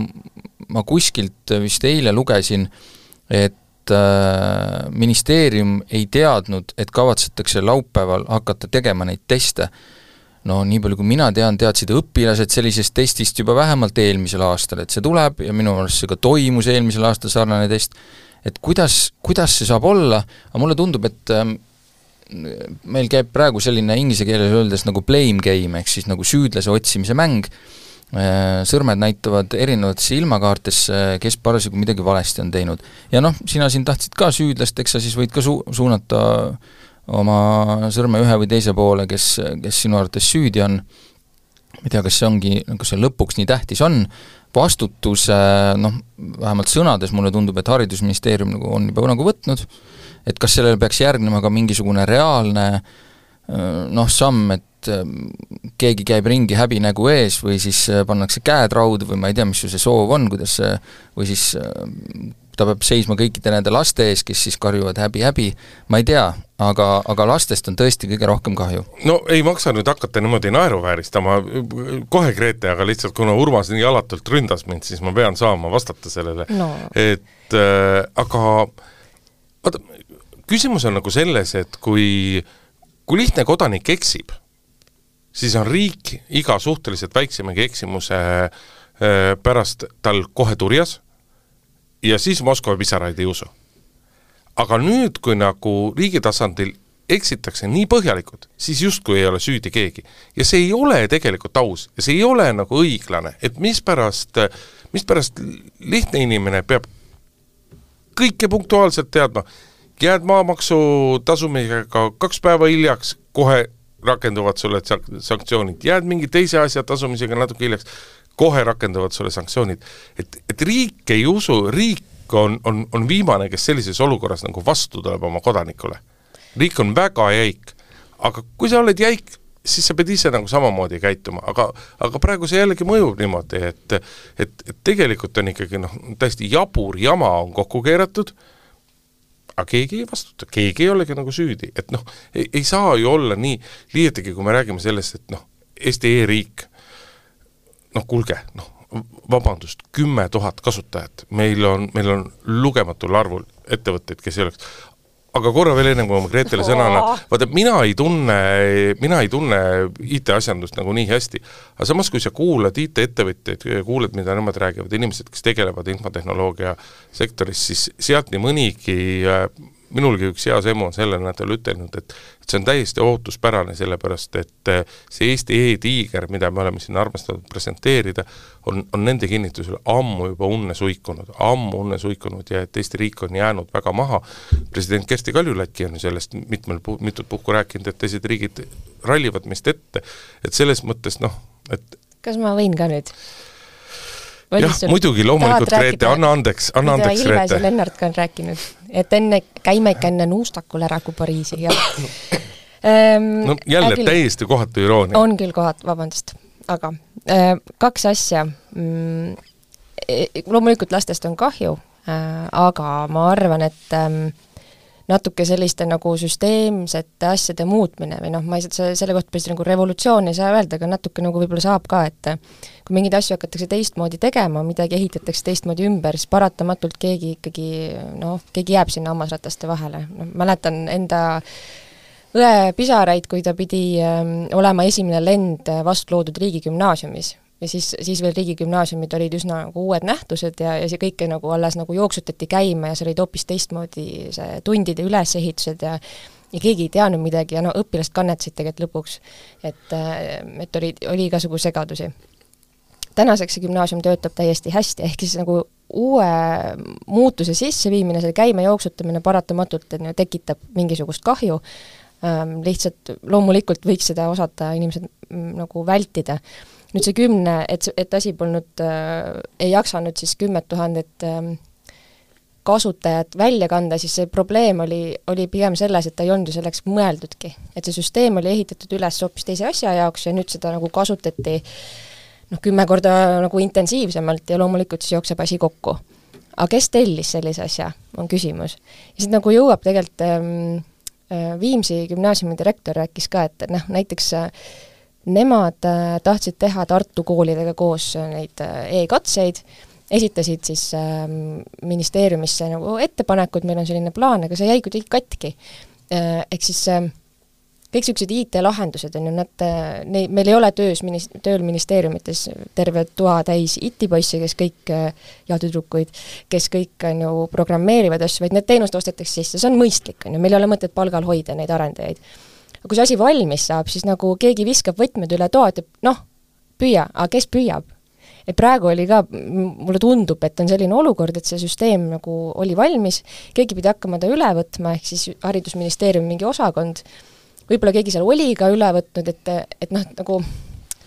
ma kuskilt vist eile lugesin, et äh, ministeerium ei teadnud, et kavatsetakse laupäeval hakata tegema neid teste. No nii palju, kui mina tean, teadsid õpilased sellisest testist juba vähemalt eelmisel aastal, et see tuleb ja minu arust see ka toimus eelmisel aastal sarnane test, et kuidas, kuidas see saab olla, aga mulle tundub, et äh, meil käib praegu selline inglise keeles öeldes nagu blame game, ehk siis nagu süüdlase otsimise mäng, sõrmed näitavad erinevatesse ilmakaartesse, kes parasjagu midagi valesti on teinud. Ja noh, sina siin tahtsid ka süüdlast, eks sa siis võid ka su- suunata oma sõrme ühe või teise poole, kes, kes sinu arvates süüdi on. Ma ei tea, kas see ongi, kas see lõpuks nii tähtis on, vastutus, noh, vähemalt sõnades mulle tundub, et haridusministeerium nagu on juba nagu võtnud, et kas sellele peaks järgnema ka mingisugune reaalne noh, samm, et keegi käib ringi häbi nägu ees või siis pannakse käed raudu või ma ei tea, mis see soov on, kuidas see, või siis ta peab seisma kõikide nende laste ees, kes siis karjuvad häbi, häbi, ma ei tea, aga, aga lastest on tõesti kõige rohkem kahju. No ei maksa nüüd hakata niimoodi naeruvääristama kohe Grete, aga lihtsalt kuna Urmas nii alatult ründas mind, siis ma pean saama vastata sellele. No. Et äh, aga vaata, küsimus on nagu selles, et kui, kui lihtne kodanik eksib, siis on riik iga suhteliselt väiksemegi eksimuse pärast tal kohe turjas ja siis Moskva pisaraid ei usu. Aga nüüd, kui nagu riigi tasandil eksitakse nii põhjalikult, siis justkui ei ole süüdi keegi. Ja see ei ole tegelikult aus ja see ei ole nagu õiglane, et mis pärast, mis pärast lihtne inimene peab kõike punktuaalselt teadma, jääd maamaksu tasumisega kaks päeva hiljaks, kohe rakenduvad sulle sanktsioonid, jääd mingi teise asja tasumisega natuke hiljaks, kohe rakenduvad sulle sanktsioonid. Et, et riik ei usu, riik on, on, on viimane, kes sellises olukorras nagu vastu tuleb oma kodanikule. Riik on väga jäik, aga kui sa oled jäik, siis sa pead ise nagu samamoodi käituma, aga, aga praegu see jällegi mõjub niimoodi, et, et, et tegelikult on ikkagi noh, täiesti jabur jama on kokku keeratud, aga keegi ei vastuta, keegi ei olegi nagu süüdi, et noh, ei, ei saa ju olla nii, liietagi kui me räägime sellest, et noh, Eesti e-riik, noh kulge, noh, vabandust, kümme tuhat kasutajat, meil on, meil on lugematul arvul ettevõtteid, kes ei oleks, aga korra veel enne, kui ma Gretele sõnana, vaata, mina ei tunne, mina ei tunne I T-asjandust nagu nii hästi, aga samas, kui sa kuulad I T-ettevõtteid, kuuled, mida nemad räägivad, inimesed, kes tegelevad infotehnoloogia sektoris, siis sealt nii mõnigi, minulgi üks hea semu on sellel nädal ütelnud, et, et see on täiesti ootuspärane, sellepärast, et see Eesti e-tiiger, mida me oleme siin armastatud presenteerida, on, on nende kinnitusel ammu juba unne suikunud, ammu unne suikunud ja et Eesti riik on jäänud väga maha. President Kersti Kaljulaidki on sellest mitmel, mitut puhku rääkinud, et teised riigid rallivad meist ette, et selles mõttes noh, et kas ma võin ka nüüd? Jah, muidugi, loomulikult Grete, anna andeks, anna andeks Grete. Ilves ja Lennart ka on rääkinud, et enne käime ikka enne nuustakul ära kui Pariisi. Ähm, no jälle äkil, täiesti kohatu iroonia. On küll kohat, vabandust, aga äh, kaks asja. Mm, loomulikult lastest on kahju, äh, aga ma arvan, et ähm, natuke selliste nagu süsteemsete asjade muutmine või noh, ma ei saa selle kohta päris nagu revolutsioon ei saa öelda, aga natuke nagu võib-olla saab ka, et kui mingeid asju hakatakse teistmoodi tegema, midagi ehitatakse teistmoodi ümber, siis paratamatult keegi ikkagi, noh, keegi jääb sinna hammasrataste vahele. No, mäletan enda õe pisaraid, kui ta pidi ähm, olema esimene lend vastu loodud riigigümnaasiumis. Ja siis, siis veel riigigümnaasiumid olid üsna nagu uued nähtused ja, ja see kõike nagu alles nagu jooksutati käima ja see olid hoopis teistmoodi see tundide ülesehitused ja, ja keegi ei teadnud midagi ja no õpilast kannetasid tegelikult lõpuks, et, et oli, oli igasugu segadusi. Tänaseks see gümnaasium töötab täiesti hästi, ehk siis nagu uue muutuse sisseviimine, selle käime jooksutamine paratamatult et, tekitab mingisugust kahju, ähm, lihtsalt loomulikult võiks seda osata inimesed m, nagu vältida. Nüüd see kümne, et, et asi polnud, äh, ei jaksanud siis kümmet tuhandet äh, kasutajat välja kanda, siis see probleem oli, oli pigem selles, et ta ei olnud ju selleks mõeldudki. Et see süsteem oli ehitatud üles hoopis teise asja jaoks ja nüüd seda nagu kasutati noh, kümme korda nagu intensiivsemalt ja loomulikult siis jookseb asi kokku. Aga kes tellis sellise asja, on küsimus. Ja siis nagu jõuab tegelikult ähm, Viimsi gümnaasiumi direktor rääkis ka, et noh, näiteks äh, nemad äh, tahtsid teha Tartu koolidega koos neid äh, e-katseid, esitasid siis äh, ministeeriumisse nagu ettepanekud, meil on selline plaan, aga see jäi kuidagi katki. Äh, ehk siis äh, kõik sellised I T-lahendused on ju, nad, ne, meil ei ole töös, tööl ministeeriumites terve toa täis I T-poisse, kes kõik, ja tüdrukuid, kes kõik on ju programmeerivad asju, vaid need teenused ostetakse sisse, see on mõistlik, on ju, meil ei ole mõtet palgal hoida neid arendajaid. Aga kui see asi valmis saab, siis nagu keegi viskab võtmed üle toa, et noh, püüa, aga kes püüab? Et praegu oli ka, mulle tundub, et on selline olukord, et see süsteem nagu oli valmis, keegi pidi hakkama ta üle võtma, ehk siis haridusministeerium mingi osakond, võib-olla keegi seal oli ka üle võtnud, et, et noh, nagu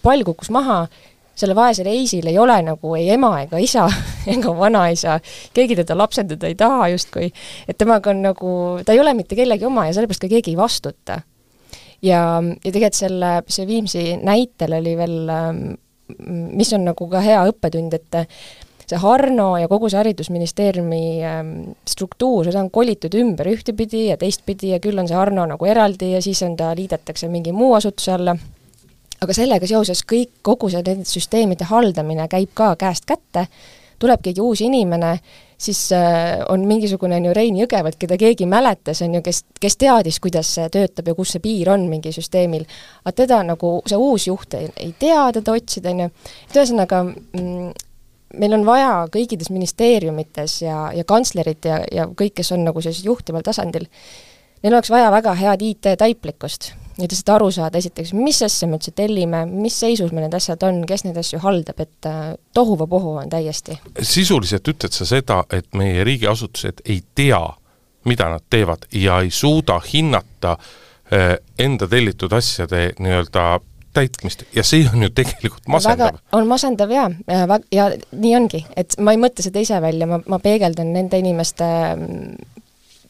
pall kukkus maha, selle vaese reisil ei ole nagu ei ema ega isa ega vanaisa, keegi teda lapsendada ei taha justkui, et temaga on nagu, ta ei ole mitte kellegi oma ja sellepärast ka keegi ei vastuta. Ja, ja tegelikult selle, see Viimsi näitel oli veel mis on nagu ka hea õppetund, et see Harno ja kogu see haridusministeeriumi struktuur, seda on kolitud ümber ühtepidi ja teistpidi ja küll on see Harno nagu eraldi ja siis on ta liidetakse mingi muu asutuse alla. Aga sellega seoses kõik, kogu see nende süsteemide haldamine käib ka käest kätte, tuleb keegi uus inimene, siis on mingisugune on ju Rein Jõgevalt, keda keegi mäletas, on ju, kes, kes teadis, kuidas see töötab ja kus see piir on mingi süsteemil. Aga teda nagu see uus juht ei, ei tea teda otsida, on ju. Ühesõnaga, mm, meil on vaja kõikides ministeeriumites ja, ja kantslerid ja, ja kõik, kes on nagu sellisel juhtival tasandil, neil oleks vaja väga head I T-taiplikkust. Ja lihtsalt aru saada esiteks, mis asja me üldse tellime, mis seisus me need asjad on, kes need asju haldab, et tohuva pohu on täiesti. Sisuliselt ütled sa seda, et meie riigiasutused ei tea, mida nad teevad ja ei suuda hinnata enda tellitud asjade nii-öelda täitmist ja see on ju tegelikult masendav. Väga, on masendav ja, ja, ja nii ongi, et ma ei mõtle seda ise välja, ma, ma peegeldan nende inimeste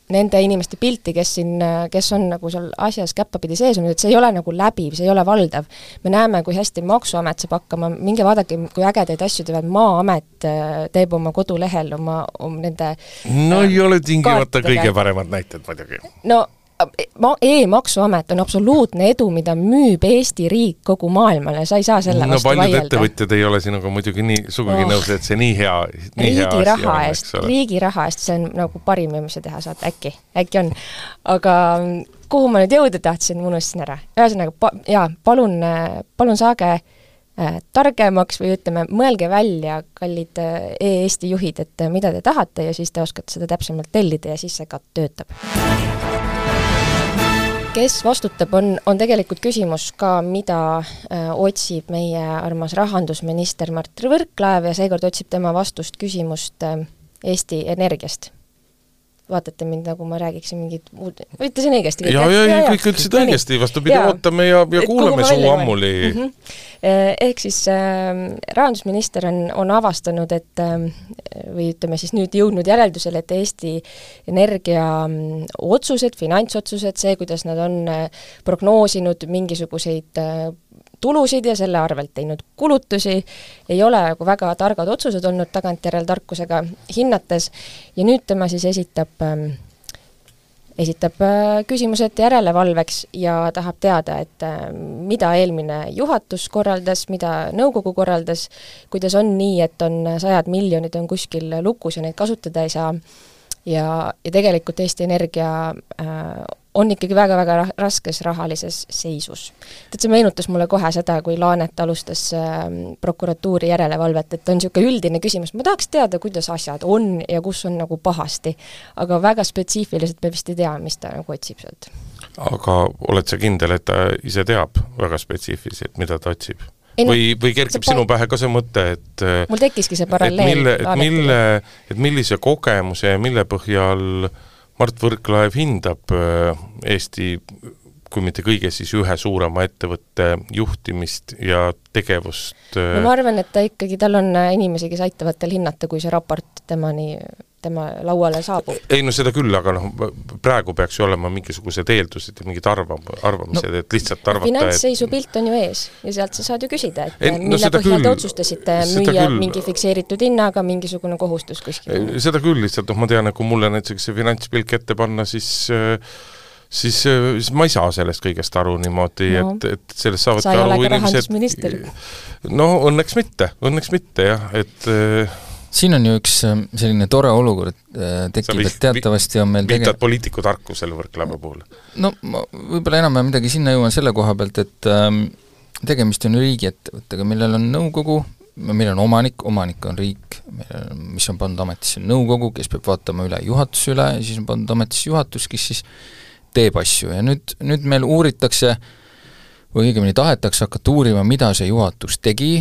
nende inimeste pilti, kes siin, kes on nagu seal asjas käppapidi sees on, et see ei ole nagu läbiv, see ei ole valdav. Me näeme, kui hästi Maksuamet saab hakkama, minge vaadake, kui ägedaid asju teevad, Maa-amet teeb oma kodulehel oma, oma nende no ei ole tingimata kõige paremad näited muidugi. No e-maksuamet on absoluutne edu, mida müüb Eesti riik kogu maailmale, sa ei saa selle no, vastu vaielda. No paljud ettevõtjad ei ole sinuga muidugi nii sugugi oh. nõus, et see nii hea nii riigi hea raha eest, riigi raha eest, see on nagu parim, mis sa teha saad, äkki, äkki on. Aga kuhu ma nüüd jõuda tahtsin, ma unustasin ära. Ühesõnaga, pa, jaa, palun, palun saage äh, targemaks või ütleme, mõelge välja, kallid e-Eesti juhid, et mida te tahate ja siis te oskate seda täpsemalt tellida ja siis see ka töötab. Kes vastutab, on, on tegelikult küsimus ka, mida äh, otsib meie armas rahandusminister Mart Võrklaev ja seekord otsib tema vastust küsimust äh, Eesti Energiast. Vaatate mind, nagu ma räägiksin mingit muud, ütlesin õigesti. Ja, ja, ja, kõik ütlesid õigesti, vastupidi, ootame ja, ja kuuleme suu ammuli. Mm-hmm. Ehk siis äh, rahandusminister on, on avastanud, et äh, või ütleme siis nüüd jõudnud järeldusele, et Eesti Energia otsused, finantsotsused, see, kuidas nad on äh, prognoosinud mingisuguseid äh, tulusid ja selle arvelt teinud kulutusi, ei ole nagu väga targad otsused olnud tagantjärel tarkusega hinnates ja nüüd tema siis esitab, äh, esitab äh, küsimused järelevalveks ja tahab teada, et äh, mida eelmine juhatus korraldas, mida nõukogu korraldas, kuidas on nii, et on sajad miljonid on kuskil lukus ja neid kasutada ei saa ja, ja tegelikult Eesti Energia äh, on ikkagi väga-väga raskes rahalises seisus. Et see meenutas mulle kohe seda, kui Laanet alustas äh, prokuratuuri järelevalvet, et on niisugune üldine küsimus, ma tahaks teada, kuidas asjad on ja kus on nagu pahasti, aga väga spetsiifiliselt me vist ei tea, mis ta nagu otsib sealt. Aga oled sa kindel, et ta ise teab väga spetsiifiliselt, mida ta otsib? Ei, või, või kerkib pa... sinu pähe ka see mõte, et mul tekkiski see paralleel. Et, mille, et, mille, et millise kogemuse ja mille põhjal Mart Võrklaev hindab Eesti, kui mitte kõige, siis ühe suurema ettevõtte juhtimist ja tegevust. No ma arvan, et ta ikkagi, tal on inimesi, kes aitavad tal hinnata, kui see raport temani, tema lauale saabub. Ei, no seda küll, aga noh, praegu peaks ju olema mingisugused eeldused ja mingid arvam, arvamised, no, et lihtsalt arvata, finantsseisu et... pilt on ju ees ja sealt sa saad ju küsida, et ei, mille no, põhjal küll, te otsustasite müüa küll. Mingi fikseeritud hinnaga mingisugune kohustus kuskil. Seda küll lihtsalt, noh, ma tean, et kui mulle näiteks see finantspilk ette panna, siis siis, siis ma ei saa sellest kõigest aru niimoodi, no, et, et sellest saavad sa ei ole ka rahandusminister. No õnneks mitte, õnneks mitte jah, et siin on ju üks selline tore olukord tekib, et teatavasti on meil viitad tege... poliitiku tarkusele Võrklaeva puhul? No ma võib-olla enam midagi sinna jõuan selle koha pealt, et ähm, tegemist on riigiettevõttega, millel on nõukogu, meil on omanik, omanik on riik, mis on pandud ametisse nõukogu, kes peab vaatama üle juhatuse üle ja siis on pandud ametisse juhatus, kes siis teeb asju ja nüüd, nüüd meil uuritakse või õigemini tahetakse hakata uurima, mida see juhatus tegi,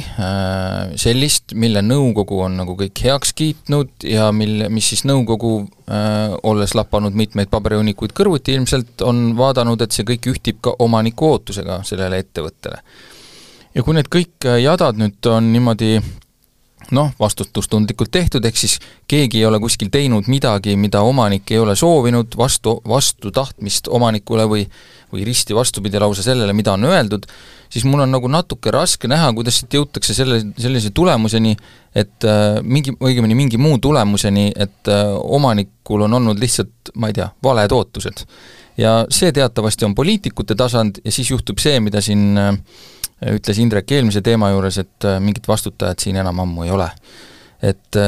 sellist, mille nõukogu on nagu kõik heaks kiitnud ja mille, mis siis nõukogu, äh, olles lapanud mitmeid paberihunnikuid kõrvuti, ilmselt on vaadanud, et see kõik ühtib ka omaniku ootusega sellele ettevõttele. Ja kui need kõik jadad nüüd on niimoodi noh, vastutustundlikult tehtud, ehk siis keegi ei ole kuskil teinud midagi, mida omanik ei ole soovinud, vastu, vastu tahtmist omanikule või, või risti vastupidi lausa sellele, mida on öeldud, siis mul on nagu natuke raske näha, kuidas siit jõutakse selle, sellise tulemuseni, et äh, mingi, õigemini mingi muu tulemuseni, et äh, omanikul on olnud lihtsalt, ma ei tea, valed ootused. Ja see teatavasti on poliitikute tasand ja siis juhtub see, mida siin äh, ütles Indrek eelmise teema juures, et mingit vastutajat siin enam ammu ei ole. Et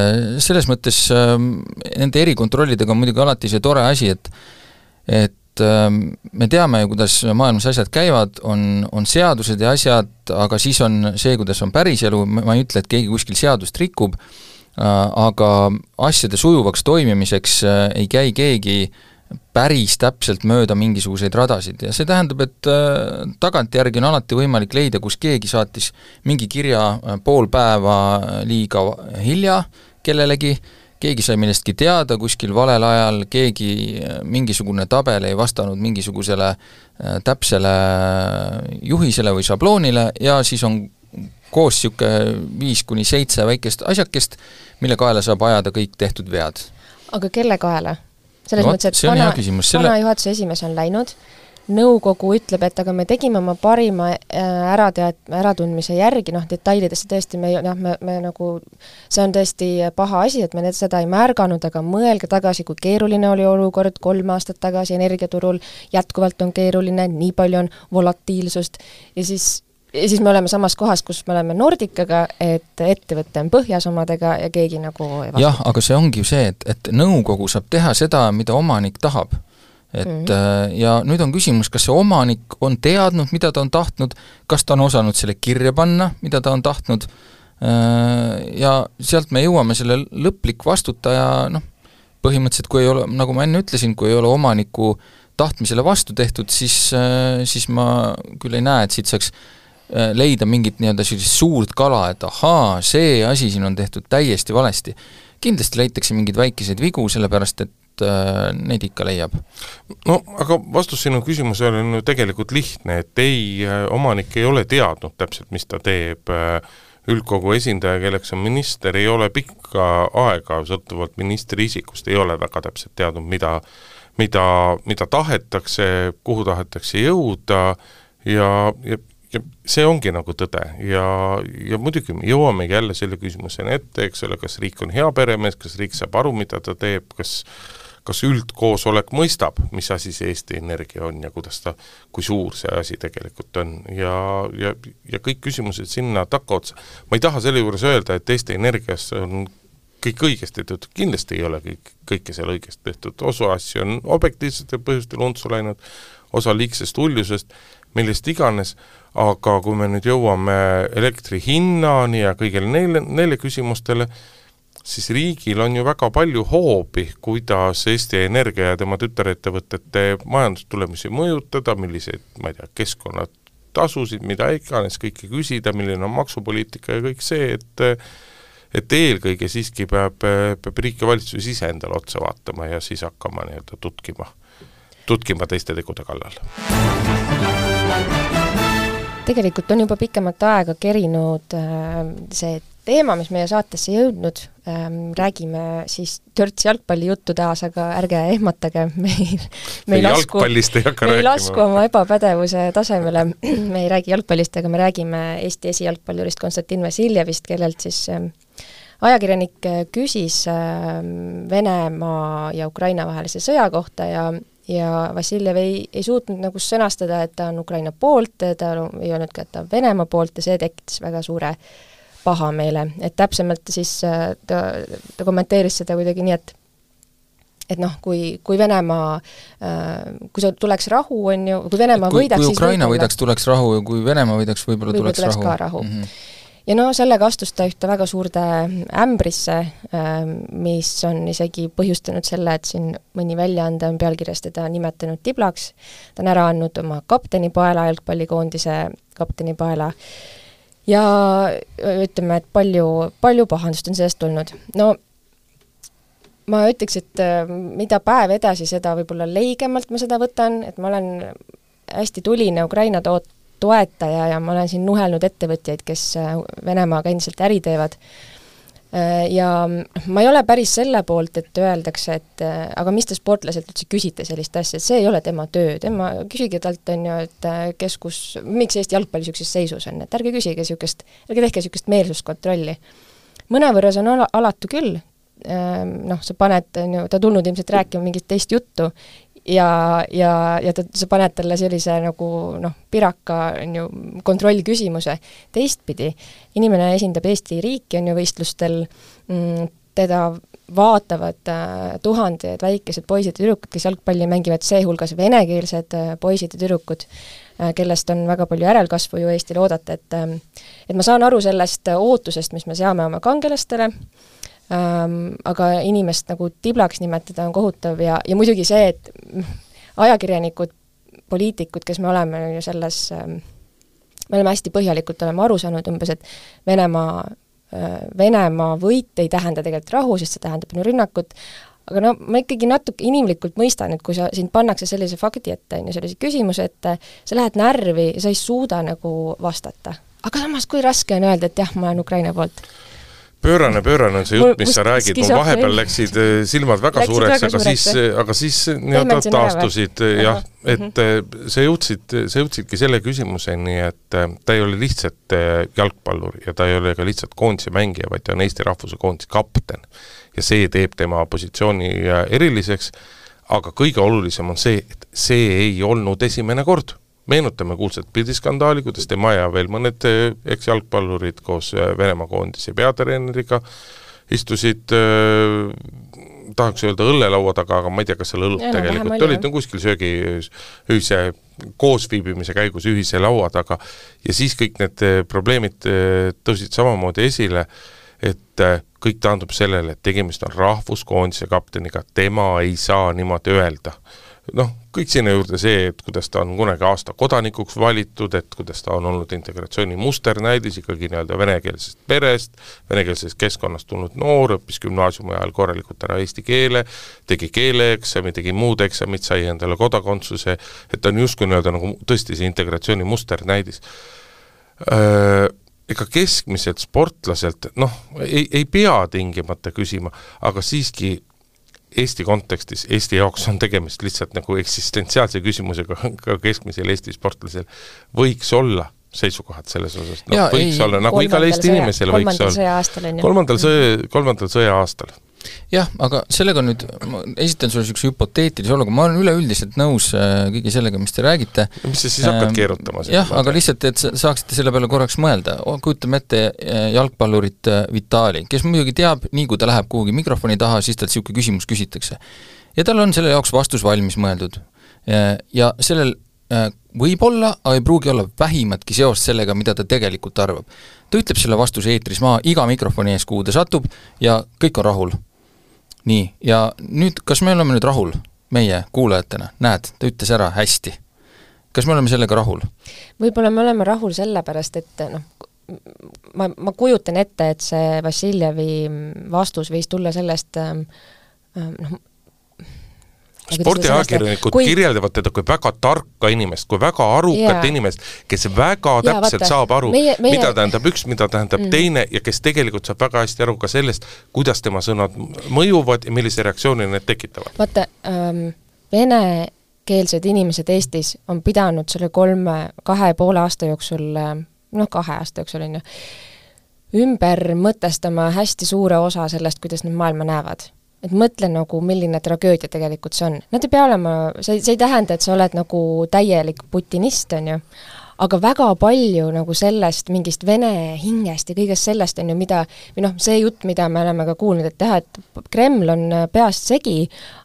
selles mõttes nende erikontrollidega on muidugi alati see tore asi, et, et me teame ju, kuidas maailmas asjad käivad, on, on seadused ja asjad, aga siis on see, kuidas on päris elu, ma ei ütle, et keegi kuskil seadust rikub, aga asjade sujuvaks toimimiseks ei käi keegi päris täpselt mööda mingisuguseid radasid ja see tähendab, et äh, tagantjärgi on alati võimalik leida, kus keegi saatis mingi kirja äh, pool päeva liiga hilja kellelegi, keegi sai millestki teada kuskil valel ajal, keegi äh, mingisugune tabel ei vastanud mingisugusele äh, täpsele juhisele või šabloonile ja siis on koos siuke viis kuni seitse väikest asjakest, mille kaela saab ajada kõik tehtud vead. Aga kelle kaela? Selles no, mõttes, et vana, selle... vana juhatuse esimees on läinud, nõukogu ütleb, et aga me tegime oma parima äratead, äratundmise järgi, noh, detailidesse tõesti me, noh, me, me nagu, see on tõesti paha asi, et me need, seda ei märganud, aga mõelge tagasi, kui keeruline oli olukord kolm aastat tagasi energiaturul, jätkuvalt on keeruline, nii palju on volatiilsust ja siis ja siis me oleme samas kohas, kus me oleme Nordicaga, et ettevõtte on põhjas omadega ja keegi nagu ei vastuta. Jah, aga see ongi ju see, et, et nõukogu saab teha seda, mida omanik tahab. Et, mm-hmm. Ja nüüd on küsimus, kas see omanik on teadnud, mida ta on tahtnud, kas ta on osanud selle kirja panna, mida ta on tahtnud, ja sealt me jõuame selle lõplik vastutaja, noh, põhimõtteliselt kui ei ole, nagu ma enne ütlesin, kui ei ole omaniku tahtmisele vastu tehtud, siis, siis ma küll ei näe, et siit saaks leida mingit nii-öelda sellist suurt kala, et ahaa, see asi siin on tehtud täiesti valesti. Kindlasti leitakse mingeid väikeseid vigu, sellepärast et äh, neid ikka leiab. No, aga vastus sinu küsimusele on ju tegelikult lihtne, et ei, omanik ei ole teadnud täpselt, mis ta teeb. Üldkogu esindaja, kelleks on minister, ei ole pikka aega, sõltuvalt ministri isikust, ei ole väga täpselt teadnud, mida, mida, mida tahetakse, kuhu tahetakse jõuda ja, ja ja see ongi nagu tõde ja, ja muidugi me jõuamegi jälle selle küsimuseni ette, eks ole, kas riik on hea peremees, kas riik saab aru, mida ta teeb, kas, kas üldkoosolek mõistab, mis asi see Eesti Energia on ja kuidas ta, kui suur see asi tegelikult on ja, ja, ja kõik küsimused sinna takkaotsa. Ma ei taha selle juures öelda, et Eesti Energias on kõik õigesti tehtud, kindlasti ei ole kõik, kõike seal õigesti tehtud, osa asju on objektiivsetel põhjustel untsu läinud, osa liigsest uljusest, millest iganes, aga kui me nüüd jõuame elektri hinnani ja kõigile neile, neile küsimustele, siis riigil on ju väga palju hoobi, kuidas Eesti Energia ja tema tütarettevõtete majandustulemusi mõjutada, milliseid, ma ei tea, keskkonnad tasusid, mida iganes kõike küsida, milline on maksupoliitika ja kõik see, et et eelkõige siiski peab, peab riik ja valitsus ise endale otsa vaatama ja siis hakkama nii-öelda tutkima, tutkima teiste tegude kallal. Tegelikult on juba pikemat aega kerinud see teema, mis meie saatesse jõudnud. Räägime siis törts jalgpallijuttu taas, aga ärge ehmatage. Me ei, me ei, lasku, me ei lasku oma ebapädevuse tasemele. Me ei räägi jalgpallist, aga me räägime Eesti esijalgpallurist Konstantin Vassiljevist, kellelt siis ajakirjanik küsis Venemaa ja Ukraina vahelise sõja kohta ja, ja Vassiljev ei, ei suutnud nagu sõnastada, et ta on Ukraina poolt, ta ei olnud ka, et ta on Venemaa poolt ja see tekitas väga suure pahameele. Et täpsemalt siis ta, ta kommenteeris seda kuidagi nii, et et noh, kui, kui Venemaa, kui see tuleks rahu, on ju, kui Venemaa kui, võidaks, kui Ukraina võidaks, tuleks rahu ja kui Venemaa võidaks, võib-olla võib tuleks, tuleks rahu. rahu. Mm-hmm. Ja no sellega astus ta ühte väga suurde ämbrisse, mis on isegi põhjustanud selle, et siin mõni väljaande on pealkirjas teda nimetanud tiblaks. Ta on ära andnud oma kaptenipaela, jalgpallikoondise kaptenipaela. Ja ütleme, et palju, palju pahandust on sellest tulnud. No ma ütleks, et mida päev edasi, seda võib-olla leigemalt ma seda võtan, et ma olen hästi tuline Ukraina toot toetaja ja ma olen siin nuhelnud ettevõtjaid, kes Venemaaga endiselt äri teevad. Ja ma ei ole päris selle poolt, et öeldakse, et aga mis te sportlaselt üldse küsite sellist asja, et see ei ole tema töö, tema küsige talt, on ju, et kes kus, miks Eesti jalgpalli niisuguses seisus on, et ärge küsige niisugust, ärge tehke niisugust meelsuskontrolli. Mõnevõrra see on ala, alatu küll, noh, sa paned, on ju, ta tulnud ilmselt rääkima mingit teist juttu, ja, ja, ja ta, sa paned talle sellise nagu noh, piraka on ju, kontrollküsimuse. Teistpidi, inimene esindab Eesti riiki, on ju võistlustel, mm, teda vaatavad äh, tuhanded väikesed poisid ja tüdrukud, kes jalgpalli mängivad, seehulgas venekeelsed äh, poisid ja tüdrukud, äh, kellest on väga palju järelkasvu ju Eestil oodata, et, äh, et ma saan aru sellest ootusest, mis me seame oma kangelastele, Ähm, aga inimest nagu tiblaks nimetada on kohutav ja, ja muidugi see, et ajakirjanikud, poliitikud, kes me oleme ju selles, ähm, me oleme hästi põhjalikult oleme aru saanud umbes, et Venemaa, äh, Venemaa võit ei tähenda tegelikult rahu, sest see tähendab ju rünnakut, aga no ma ikkagi natuke inimlikult mõistan, et kui sa, sind pannakse sellise fakti ette, on ju sellise küsimuse, et sa lähed närvi ja sa ei suuda nagu vastata. Aga samas, kui raske on öelda, et jah, ma olen Ukraina poolt. Pöörane, pöörane on see jutt, mis sa räägid, mu vahepeal läksid silmad väga läksid suureks, väga aga suureks, siis, aga siis nii-öelda taastusid, jah, et see jõudsid, see jõudsidki selle küsimuseni, et ta ei ole lihtsalt jalgpallur ja ta ei ole ka lihtsalt koondise mängija, vaid ta on Eesti rahvuse koondise kapten. Ja see teeb tema positsiooni eriliseks, aga kõige olulisem on see, et see ei olnud esimene kord. Meenutame kuulsat pildiskandaali, kuidas tema ja veel mõned eks-jalgpallurid koos Venemaa koondise peatreeneriga istusid, äh, tahaks öelda õllelaua taga, aga ma ei tea, kas seal õlut ja, tegelikult no, olid no, kuskil söögi ühise koosviibimise käigus ühise laua taga ja siis kõik need probleemid tõusid samamoodi esile, et kõik taandub sellele, et tegemist on rahvuskoondise kapteniga, tema ei saa niimoodi öelda. Noh, kõik sinna juurde see, et kuidas ta on kunagi aasta kodanikuks valitud, et kuidas ta on olnud integratsiooni musternäidis ikkagi nii-öelda venekeelsest perest, venekeelsest keskkonnast tulnud noor, õppis gümnaasiumi ajal korralikult ära eesti keele, tegi keeleeksami, tegi muud eksamid, sai endale kodakondsuse, et ta on justkui nii-öelda nagu tõesti see integratsiooni musternäidis. Ega keskmiselt sportlaselt, noh, ei, ei pea tingimata küsima, aga siiski Eesti kontekstis, Eesti jaoks on tegemist lihtsalt nagu eksistentsiaalse küsimusega ka keskmisel Eesti sportlasel võiks olla seisukohad selles osas. No, ja, võiks ei, olla, nagu igal Eesti sõja, inimesel võiks olla. Kolmandal sõja, kolmandal sõja aastal. Jah, aga sellega nüüd, ma esitan sulle üks hüpoteetilise oluga, ma olen üleüldiselt nõus kõigi sellega, mis te räägite. Mis sa siis hakkad keerutama? Jah, aga lihtsalt, et saaksite selle peale korraks mõelda. Kujutame ette jalgpallurit Vitali, kes muidugi teab, nii kui ta läheb kuhugi mikrofoni taha, siis tal siuke küsimus küsitakse. Ja tal on selle jaoks vastus valmis mõeldud. Ja sellel võib-olla, aga ei pruugi olla vähimatki seost sellega, mida ta tegelikult arvab. Ta ütleb selle vastuse eetris maha iga mikrofoni ees, kuhu ta satub ja kõik on rahul. Nii, ja nüüd, kas me oleme nüüd rahul meie kuulajatena? Näed, ta ütles ära hästi. kas me oleme sellega rahul? Võib-olla me oleme rahul sellepärast, et noh, ma, ma kujutan ette, et see Vassiljevi vastus võis tulla sellest noh, spordiajakirjanikud kui... kirjeldavad teda kui väga tarka inimest, kui väga arukat yeah. inimest, kes väga ja, täpselt vaata, saab aru, meie, meie... mida tähendab üks, mida tähendab mm. teine ja kes tegelikult saab väga hästi aru ka sellest, kuidas tema sõnad mõjuvad ja millise reaktsiooni need tekitavad. Vaata, ähm, venekeelsed inimesed Eestis on pidanud selle kolme, kahe poole aasta jooksul, noh kahe aasta jooksul on ju, ümber mõtestama hästi suure osa sellest, kuidas nad maailma näevad. Et mõtle nagu, milline tragöödia tegelikult see on. Nad ei pea olema, see, see ei tähenda, et sa oled nagu täielik putinist, on ju, aga väga palju nagu sellest mingist vene hingest ja kõigest sellest on ju, mida, või noh, see jutt, mida me oleme ka kuulnud, et teha, et Kreml on peast segi,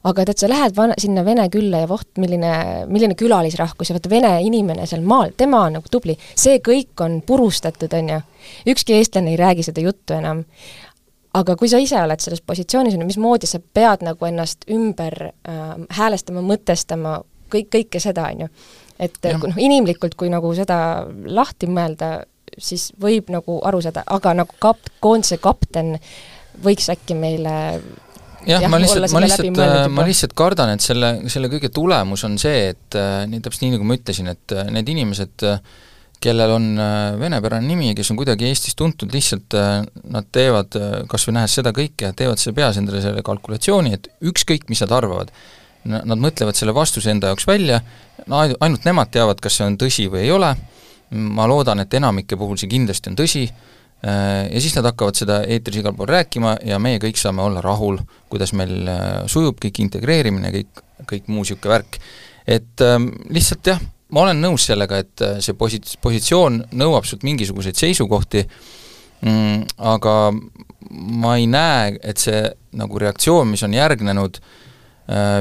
aga et, et sa lähed van, sinna vene külla ja voht, milline, milline külalisrahkus ja vaata vene inimene seal maal, tema on nagu tubli. See kõik on purustatud, on ju. Ükski eestlane ei räägi seda juttu enam. Aga kui sa ise oled selles positsioonis, mismoodi sa pead nagu ennast ümber äh, häälestama, mõtestama, kõik, kõike seda, on ju. Et ja. Noh, inimlikult, kui nagu seda lahti mõelda, siis võib nagu aru saada, aga nagu kap, koondise kapten võiks äkki meile jah, jah, ma lihtsalt, ma lihtsalt, ma lihtsalt kardan, et selle, selle kõige tulemus on see, et nii täpselt nii, nagu ma ütlesin, et need inimesed kellel on venepärane nimi, kes on kuidagi Eestis tuntud, lihtsalt nad teevad, kas või nähes seda kõike, teevad selle peas endale selle kalkulatsiooni, et ükskõik, mis nad arvavad. Nad mõtlevad selle vastuse enda jaoks välja, no ainult nemad teavad, kas see on tõsi või ei ole, ma loodan, et enamike puhul see kindlasti on tõsi, ja siis nad hakkavad seda eetris igal pool rääkima ja meie kõik saame olla rahul, kuidas meil sujub kõik integreerimine, kõik, kõik muu siuke värk. Et lihtsalt jah, ma olen nõus sellega, et see posi-, positsioon nõuab sult mingisuguseid seisukohti, mm, aga ma ei näe, et see nagu reaktsioon, mis on järgnenud,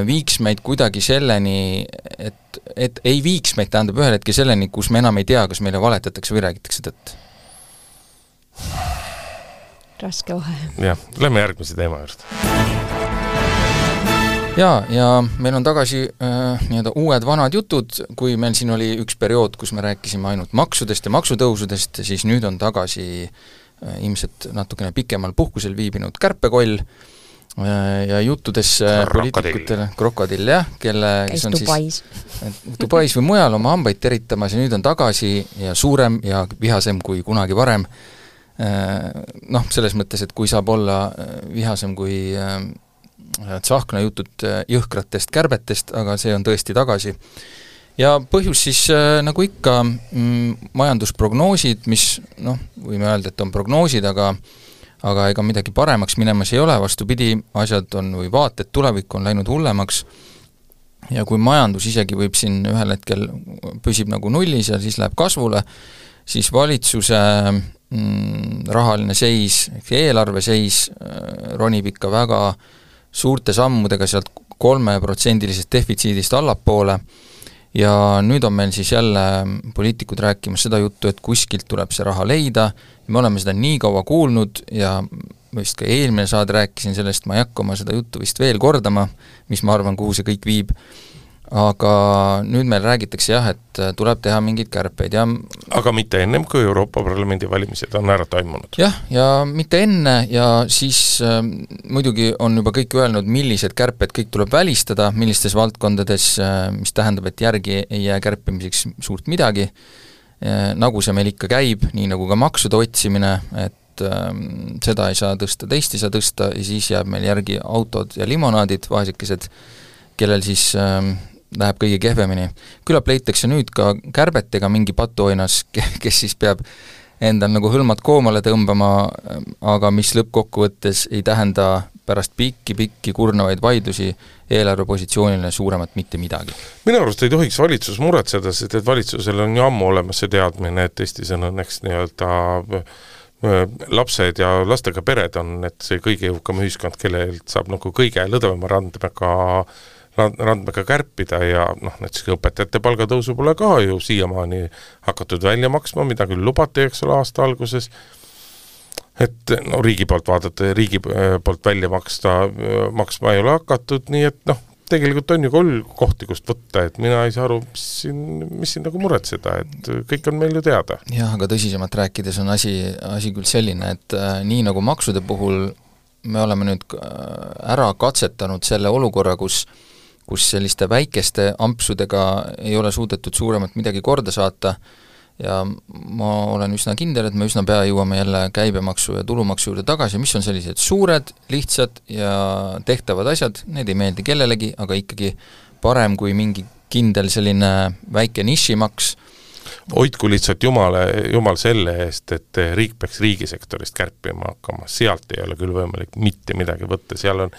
viiks meid kuidagi selleni, et, et ei viiks meid, tähendab ühel hetke selleni, kus me enam ei tea, kas meile valetatakse või räägitakse tõtt. Raske vahe. Jah, lähme järgmise teema juurde. Jaa, ja meil on tagasi äh, nii-öelda uued vanad jutud, kui meil siin oli üks periood, kus me rääkisime ainult maksudest ja maksutõusudest, siis nüüd on tagasi äh, ilmselt natukene pikemal puhkusel viibinud kärpekoll äh, ja juttudes äh, poliitikutele, krokodill, jah, kelle kes on Dubais. siis Dubais või mujal oma hambaid teritamas ja nüüd on tagasi ja suurem ja vihasem kui kunagi varem. Äh, noh, selles mõttes, et kui saab olla vihasem kui äh, tsahkna jutud jõhkratest kärbetest, aga see on tõesti tagasi. Ja põhjus siis nagu ikka mm, majandusprognoosid, mis noh, võime öelda, et on prognoosid, aga aga ega midagi paremaks minemas ei ole, vastupidi, asjad on või vaated tulevikku on läinud hullemaks ja kui majandus isegi võib siin ühel hetkel püsib nagu nullis ja siis läheb kasvule, siis valitsuse mm, rahaline seis, eelarve seis ronib ikka väga suurte sammudega sealt kolmeprotsendilisest defitsiidist allapoole ja nüüd on meil siis jälle poliitikud rääkimas seda juttu, et kuskilt tuleb see raha leida, me oleme seda nii kaua kuulnud ja vist ka eelmine saad rääkisin sellest, ma ei hakka oma seda juttu vist veel kordama, mis ma arvan, kuhu see kõik viib, aga nüüd meil räägitakse jah, et tuleb teha mingeid kärpeid ja aga mitte ennem, kui Euroopa Parlamendi valimised on ära toimunud. jah, ja mitte enne ja siis äh, muidugi on juba kõik öelnud, millised kärped kõik tuleb välistada, millistes valdkondades, äh, mis tähendab, et järgi ei jää kärpimiseks suurt midagi, äh, nagu see meil ikka käib, nii nagu ka maksude otsimine, et äh, seda ei saa tõsta, teist ei saa tõsta ja siis jääb meil järgi autod ja limonaadid, vaesekesed, kellel siis äh, läheb kõige kehvemini. Küllap leitakse nüüd ka kärbetega mingi patuoinas, kes siis peab endal nagu hõlmad koomale tõmbama, aga mis lõppkokkuvõttes ei tähenda pärast pikki-pikki kurnavaid vaidlusi eelarvepositsioonile suuremat mitte midagi. Minu arust ei tohiks valitsus muretseda, sest et valitsusel on ju ammu olemas see teadmine, et Eestis on õnneks nii-öelda lapsed ja lastega pered on, et see kõige jõukam ühiskond, kellelt saab nagu kõige lõdvema randmega randmega kärpida ja noh, näiteks õpetajate palgatõusu pole ka ju siiamaani hakatud välja maksma, mida küll lubati, eks ole, aasta alguses, et no riigi poolt vaadata ja riigi poolt välja maksta, maksma ei ole hakatud, nii et noh, tegelikult on ju kolm kohti, kust võtta, et mina ei saa aru, mis siin, mis siin nagu muretseda, et kõik on meil ju teada. Jah, aga tõsisemalt rääkides on asi, asi küll selline, et äh, nii nagu maksude puhul me oleme nüüd ära katsetanud selle olukorra, kus kus selliste väikeste ampsudega ei ole suudetud suuremat midagi korda saata ja ma olen üsna kindel, et me üsna pea jõuame jälle käibemaksu ja tulumaksu juurde tagasi, mis on sellised suured, lihtsad ja tehtavad asjad, need ei meeldi kellelegi, aga ikkagi parem kui mingi kindel selline väike nišimaks. Hoidku lihtsalt jumale, jumal selle eest, et riik peaks riigisektorist kärpima hakkama, sealt ei ole küll võimalik mitte midagi võtta, seal on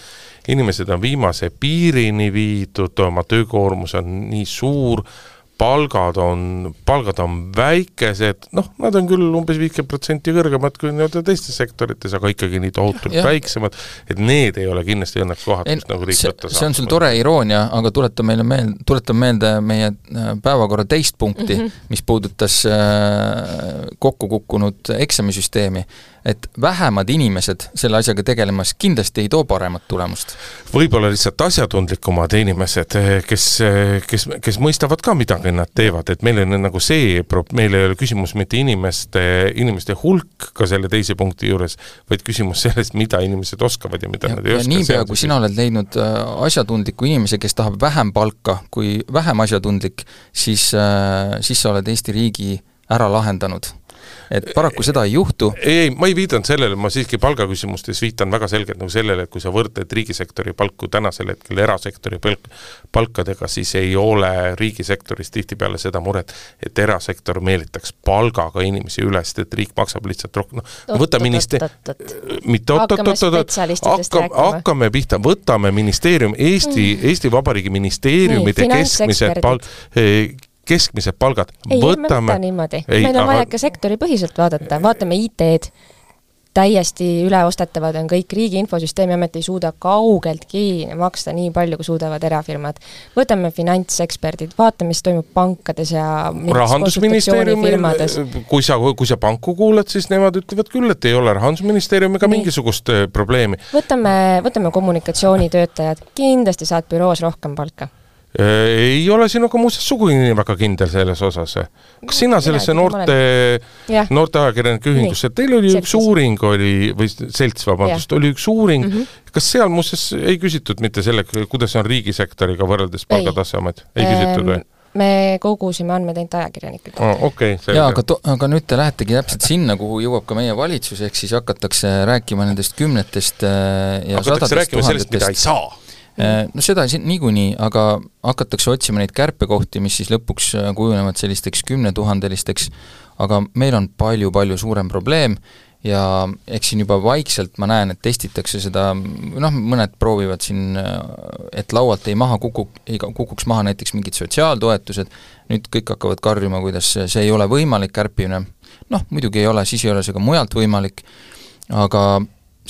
inimesed on viimase piirini viidud, oma töökoormus on nii suur, palgad on, palgad on väikesed, noh, nad on küll umbes viiskümmend protsenti kõrgemad kui nii-öelda teistes sektorites, aga ikkagi nii tohutult ja. väiksemad, et need ei ole kindlasti õnneks kohad, kus nagu riik võtta saab. See on sul tore iroonia, aga tuleta meile meelde, tuleta meelde meie päevakorra teist punkti, mm -hmm. mis puudutas kokku kukkunud eksamisüsteemi, et vähemad inimesed selle asjaga tegelemas kindlasti ei too paremat tulemust. Võib-olla lihtsalt asjatundlikumad inimesed, kes, kes, kes mõistavad ka midagi nad teevad, et meil on nagu see, meil ei ole küsimus mitte inimeste, inimeste hulk ka selle teise punkti juures, vaid küsimus sellest, mida inimesed oskavad ja mida ja, nad ei oska. Niipea, kui sina oled leidnud asjatundliku inimese, kes tahab vähem palka kui vähem asjatundlik, siis, siis sa oled Eesti riigi ära lahendanud. Et paraku seda ei juhtu. Ei, ma ei viidan sellele, ma siiski palgaküsimustes viitan väga selgelt nagu sellele, et kui sa võrdled riigisektori palku tänasel hetkel erasektori palkadega, siis ei ole riigisektoris tihtipeale seda muret, et erasektor meelitaks palgaga inimesi üles, et riik maksab lihtsalt rohkem. No, võta ministeerium, mitte hakkame pihta, võtame ministeerium, Eesti, Eesti Vabariigi ministeeriumide keskmised palk, keskmised palgad. Ei, võtame, me võta niimoodi. Ei, meil on vaja ka sektori põhiselt vaadata. Vaatame I T-d, täiesti üleostetavad on kõik, riigi infosüsteemi amet ei suuda kaugeltki maksta nii palju, kui suudavad erafirmad. Võtame finantseksperdid, vaatame, mis toimub pankades ja Rahandusministeeriumil, kui sa, kui sa panku kuulad, siis nemad ütlevad küll, et ei ole Rahandusministeeriumiga nii. mingisugust probleemi. Võtame, võtame kommunikatsioonitöötajad, kindlasti saad büroos rohkem palka. Ei ole sinuga muuseas sugugi nii väga kindel selles osas. Kas sina sellesse noorte, noorte ajakirjanike ühingusse, teil oli üks uuring, oli, või selts, vabandust, oli üks uuring, mm -hmm. kas seal muuseas ei küsitud mitte selle, kuidas on riigisektoriga võrreldes palgatasemed? Ei, ei küsitud või? Me kogusime andmed ainult ajakirjanikud. Oh, okay, ja, aga, to, aga nüüd te lähetegi täpselt sinna, kuhu jõuab ka meie valitsus, ehk siis hakatakse rääkima nendest kümnetest ja hakatakse rääkima sellest, mida ei saa. No seda niikuinii, aga hakatakse otsima neid kärpekohti, mis siis lõpuks kujunevad sellisteks kümnetuhandelisteks, aga meil on palju-palju suurem probleem ja eks siin juba vaikselt ma näen, et testitakse seda, noh, mõned proovivad siin, et laualt ei maha kukuk, ei kukuks maha näiteks mingid sotsiaaltoetused, nüüd kõik hakkavad karjuma, kuidas see ei ole võimalik kärpimine, noh, muidugi ei ole, siis ei ole see ka mujalt võimalik, aga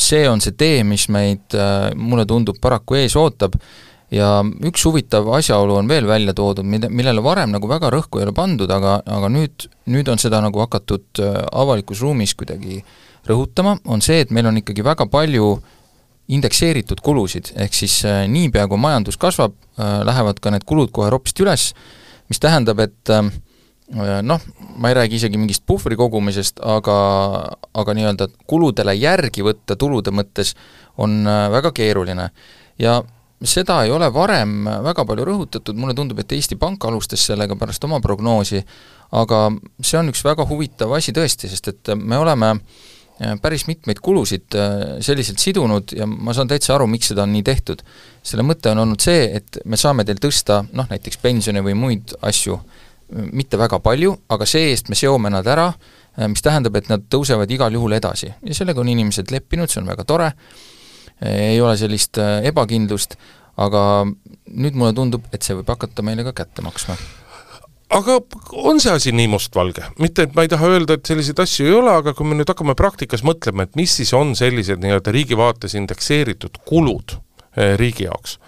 see on see tee, mis meid, mulle tundub, paraku ees ootab ja üks huvitav asjaolu on veel välja toodud, millele varem nagu väga rõhku ei ole pandud, aga, aga nüüd, nüüd on seda nagu hakatud avalikus ruumis kuidagi rõhutama, on see, et meil on ikkagi väga palju indekseeritud kulusid, ehk siis niipea kui majandus kasvab, lähevad ka need kulud kohe ropsti üles, mis tähendab, et noh, ma ei räägi isegi mingist puhvri kogumisest, aga, aga nii-öelda kuludele järgi võtta tulude mõttes on väga keeruline. Ja seda ei ole varem väga palju rõhutatud, mulle tundub, et Eesti Pank alustas sellega pärast oma prognoosi, aga see on üks väga huvitav asi tõesti, sest et me oleme päris mitmeid kulusid selliselt sidunud ja ma saan täitsa aru, miks seda on nii tehtud. Selle mõte on olnud see, et me saame teil tõsta, noh, näiteks pensione või muid asju, mitte väga palju, aga see-eest me seome nad ära, mis tähendab, et nad tõusevad igal juhul edasi. Ja sellega on inimesed leppinud, see on väga tore, ei ole sellist ebakindlust, aga nüüd mulle tundub, et see võib hakata meile ka kätte maksma. Aga on see asi nii mustvalge? Mitte, et ma ei taha öelda, et selliseid asju ei ole, aga kui me nüüd hakkame praktikas mõtlema, et mis siis on sellised nii-öelda riigi vaates indekseeritud kulud riigi jaoks,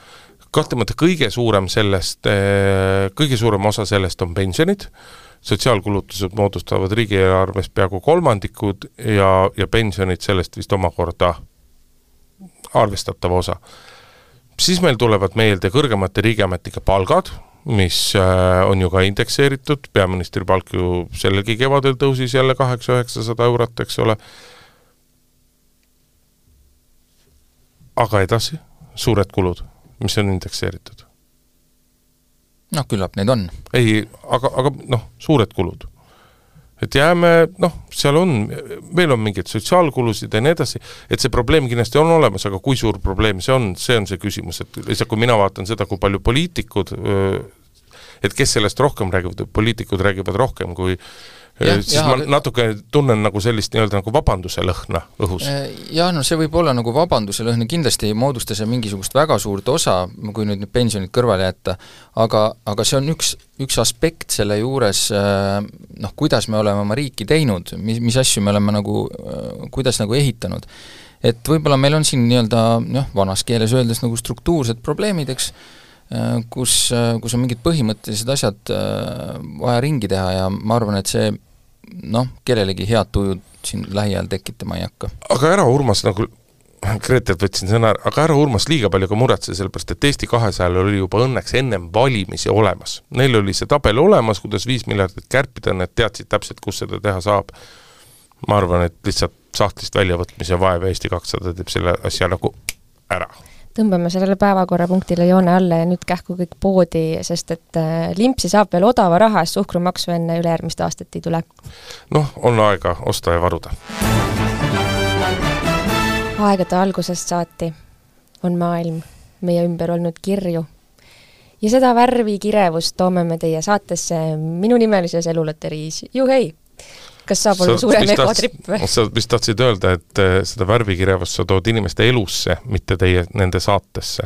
kahtemata kõige suurem sellest, kõige suurem osa sellest on pensionid, sotsiaalkulutused moodustavad riigieelarvest peaaegu kolmandikud ja, ja pensionid sellest vist omakorda arvestatav osa. siis meil tulevad meelde kõrgemate riigiametike palgad, mis on ju ka indekseeritud, peaministri palk ju sellelgi kevadel tõusis jälle kaheksa üheksasada eurot, eks ole. Aga edasi, suured kulud, mis on indekseeritud. Noh, küllap need on. Ei, aga, aga noh, suured kulud. Et jääme, noh, seal on, meil on mingid sotsiaalkulusid ja nii edasi, et see probleem kindlasti on olemas, aga kui suur probleem see on, see on see küsimus, et lihtsalt kui mina vaatan seda, kui palju poliitikud, et kes sellest rohkem räägivad, poliitikud räägivad rohkem, kui ja, siis ja, ma aga... natuke tunnen nagu sellist nii-öelda nagu vabanduse lõhna õhus. Ja no see võib olla nagu vabanduse lõhna, kindlasti ei moodusta see mingisugust väga suurt osa, kui nüüd pensionid kõrvale jätta, aga, aga see on üks, üks aspekt selle juures, noh, kuidas me oleme oma riiki teinud, mis, mis asju me oleme nagu, kuidas nagu ehitanud. Et võib-olla meil on siin nii-öelda, noh, vanas keeles öeldes nagu struktuursed probleemid, eks, kus, kus on mingid põhimõttelised asjad vaja ringi teha ja ma arvan, et see noh, kellelegi head tujud siin lähiajal tekitama ei hakka. Aga ära Urmas, nagu Gretet võtsin sõna, aga ära Urmas liiga palju ka muretse, sellepärast et Eesti kahesajal oli juba õnneks ennem valimisi olemas. Neil oli see tabel olemas, kuidas viis miljardit kärpida, need teadsid täpselt, kus seda teha saab. Ma arvan, et lihtsalt sahtlist väljavõtmise vaev Eesti kakssada teeb selle asja nagu ära. Tõmbame sellele päevakorrapunktile joone alla ja nüüd kähku kõik poodi, sest et limpsi saab veel odava raha, suhkrumaksu enne ülejärgmist aastat ei tule. Noh, on aega osta ja varuda. Aegade algusest saati on maailm meie ümber olnud kirju. Ja seda värvi kirevust toome me teie saatesse minu nimelises eluloteriis. Juhei! Kas saab olla suurem ekotripp või? Sa vist tahtsid öelda, et seda värvikirjavust sa tood inimeste elusse, mitte teie nende saatesse.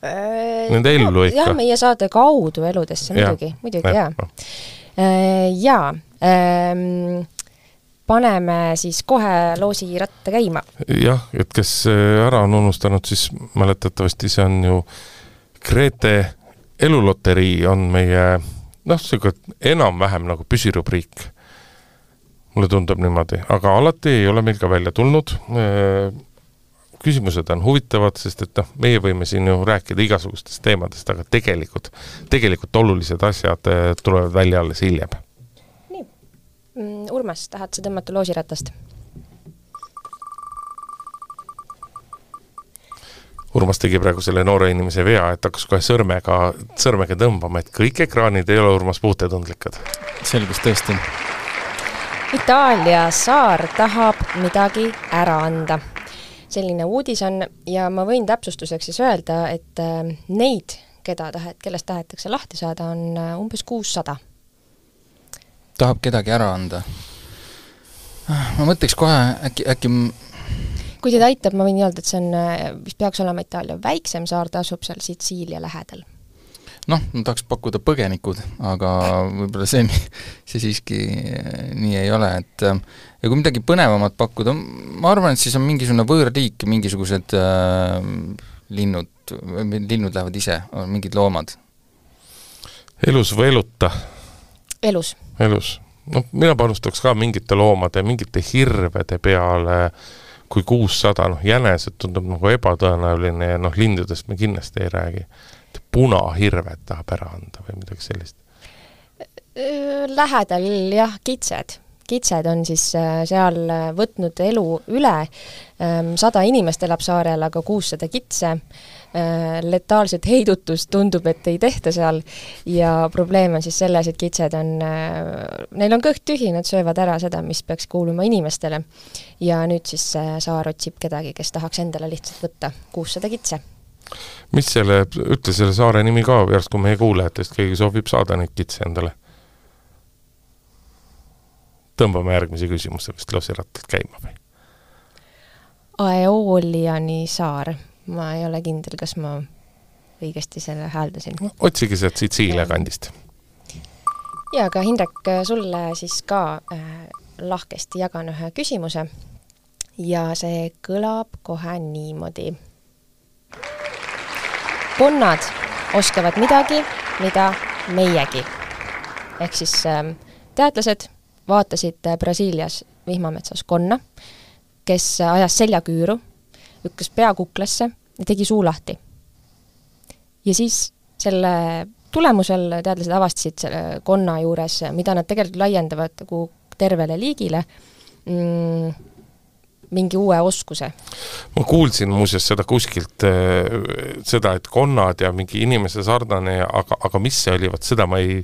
Äh, nende ellu ikka. Jah, meie saate kaudu eludesse, muidugi, ja, muidugi, jaa. Äh, jaa, ähm, paneme siis kohe loosi ratta käima. Jah, et kes ära on unustanud, siis mäletatavasti see on ju Grete eluloterii on meie, noh, see enam-vähem nagu püsirubriik. Mulle tundub niimoodi, aga alati ei ole meil ka välja tulnud. Küsimused on huvitavad, sest et noh, meie võime siin ju rääkida igasugustest teemadest, aga tegelikult, tegelikult olulised asjad tulevad välja alles hiljem. Nii. Urmas, tahad sa tõmmata loosiratast? Urmas tegi praegu selle noore inimese vea, et hakkas kohe sõrmega, sõrmega tõmbama, et kõik ekraanid ei ole Urmas puutetundlikud. Selgus tõesti. Itaalia saar tahab midagi ära anda. Selline uudis on ja ma võin täpsustuseks siis öelda, et neid, keda tahet, kellest tahetakse lahti saada, on umbes kuussada. Tahab kedagi ära anda? Ma mõtleks kohe äkki... äkki... Kui teid aitab, ma võin öelda, et see on, mis peaks olema Itaalia väiksem saar, ta asub seal Sitsiilia lähedal. Noh, ma tahaks pakkuda põgenikud, aga võib-olla see, see siiski nii ei ole, et ja kui midagi põnevamat pakkuda, ma arvan, et siis on mingisugune võõrliik, mingisugused äh, linnud, linnud lähevad ise, on mingid loomad. Elus või eluta? Elus. Elus. No, mina panustaks ka mingite loomade, mingite hirvede peale, kui kuussada, noh, jänesed tundub nagu ebatõenäoline ja noh, lindudest me kindlasti ei räägi. Punahirved tahab ära anda või midagi sellist? Lähedal jah, kitsed. Kitsed on siis seal võtnud elu üle. Sada inimest elab saarel, aga kuussada kitse. Letaalset heidutust tundub, et ei tehta seal. Ja probleem on siis selles, et kitsed on, neil on kõht tühi, nad söövad ära seda, mis peaks kuuluma inimestele. Ja nüüd siis saar otsib kedagi, kes tahaks endale lihtsalt võtta kuussada kitse. Mis selle, ütle selle saare nimi ka, järsku meie kuulajatest keegi soovib saada neid kitse endale. Tõmbame järgmise küsimuse vist loosirattalt käima või? Aeoliani saar. Ma ei ole kindel, kas ma õigesti selle hääldasin. Otsigi sealt Sitsiilia kandist. Ja aga Hindrek, sulle siis ka äh, lahkesti jagan ühe küsimuse ja see kõlab kohe niimoodi. Konnad oskavad midagi, mida meiegi. Ehk siis äh, teadlased vaatasid Brasiilias vihmametsas konna, kes ajas seljaküüru, lükkas pea kuklasse ja tegi suu lahti. ja siis selle tulemusel teadlased avastasid selle konna juures, mida nad tegelikult laiendavad nagu tervele liigile, mm, mingi uue oskuse. Ma kuulsin muuseas seda kuskilt, seda, et konnad ja mingi inimese sarnane, aga, aga mis see oli, võt seda ma ei,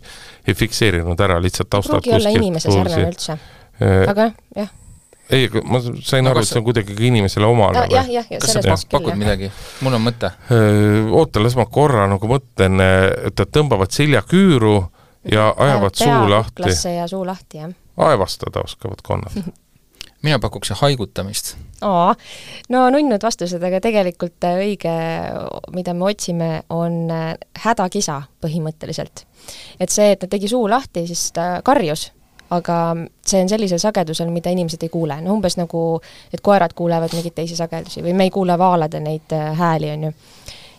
ei fikseerinud ära, lihtsalt taustalt kuskilt. Pruugi olla inimese sarnane üldse, aga jah. Ei, ma sain aru, et see on kuidagi inimesele omane. No, jah, jah, kas sa pakud midagi? Mul on mõte. Oota, las ma korra nagu mõtlen, et tõmbavad siljaküüru ja ajavad suu lahti. Peaklasse ja suu lahti, jah. Aevastada oskavad konnad. Mina pakuks haigutamist. Oo, no nunnud vastused, aga tegelikult õige, mida me otsime, on hädakisa põhimõtteliselt. Et see, et ta tegi suu lahti, siis ta karjus, aga see on sellisel sagedusel, mida inimesed ei kuule. No umbes nagu, et koerad kuulevad mingit teisi sagedusi või me ei kuule vaalade neid hääli, on ju.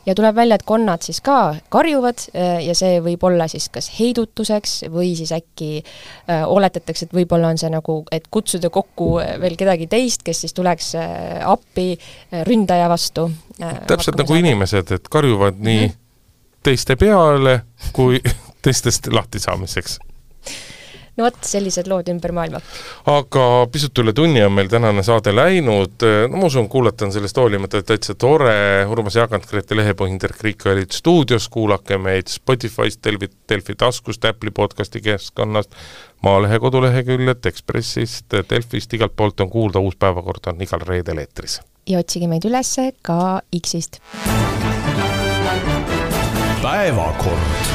Ja tuleb välja, et konnad siis ka karjuvad ja see võib olla siis kas heidutuseks või siis äkki äh, oletatakse, et võib-olla on see nagu, et kutsuda kokku veel kedagi teist, kes siis tuleks äh, appi äh, ründaja vastu. Äh, Täpselt nagu saada. Inimesed, et karjuvad nii mm. teiste peale kui teistest lahtisaamiseks. No vot, sellised lood ümber maailma. Aga pisut üle tunni on meil tänane saade läinud. No ma usun, kuulatan sellest hoolimata, et täitsa tore. Urmas Jaagant, Grete Lehepõhing, Terk Riik olid stuudios, kuulake meid Spotify'st, Delfi, Delfi taskust, Apple'i podcasti keskkonnast, Maalehe koduleheküljed, Ekspressist, Delfist, igalt poolt on kuulda, uus päevakord on igal reedel eetris. Ja otsige meid üles ka X-ist. Päevakord.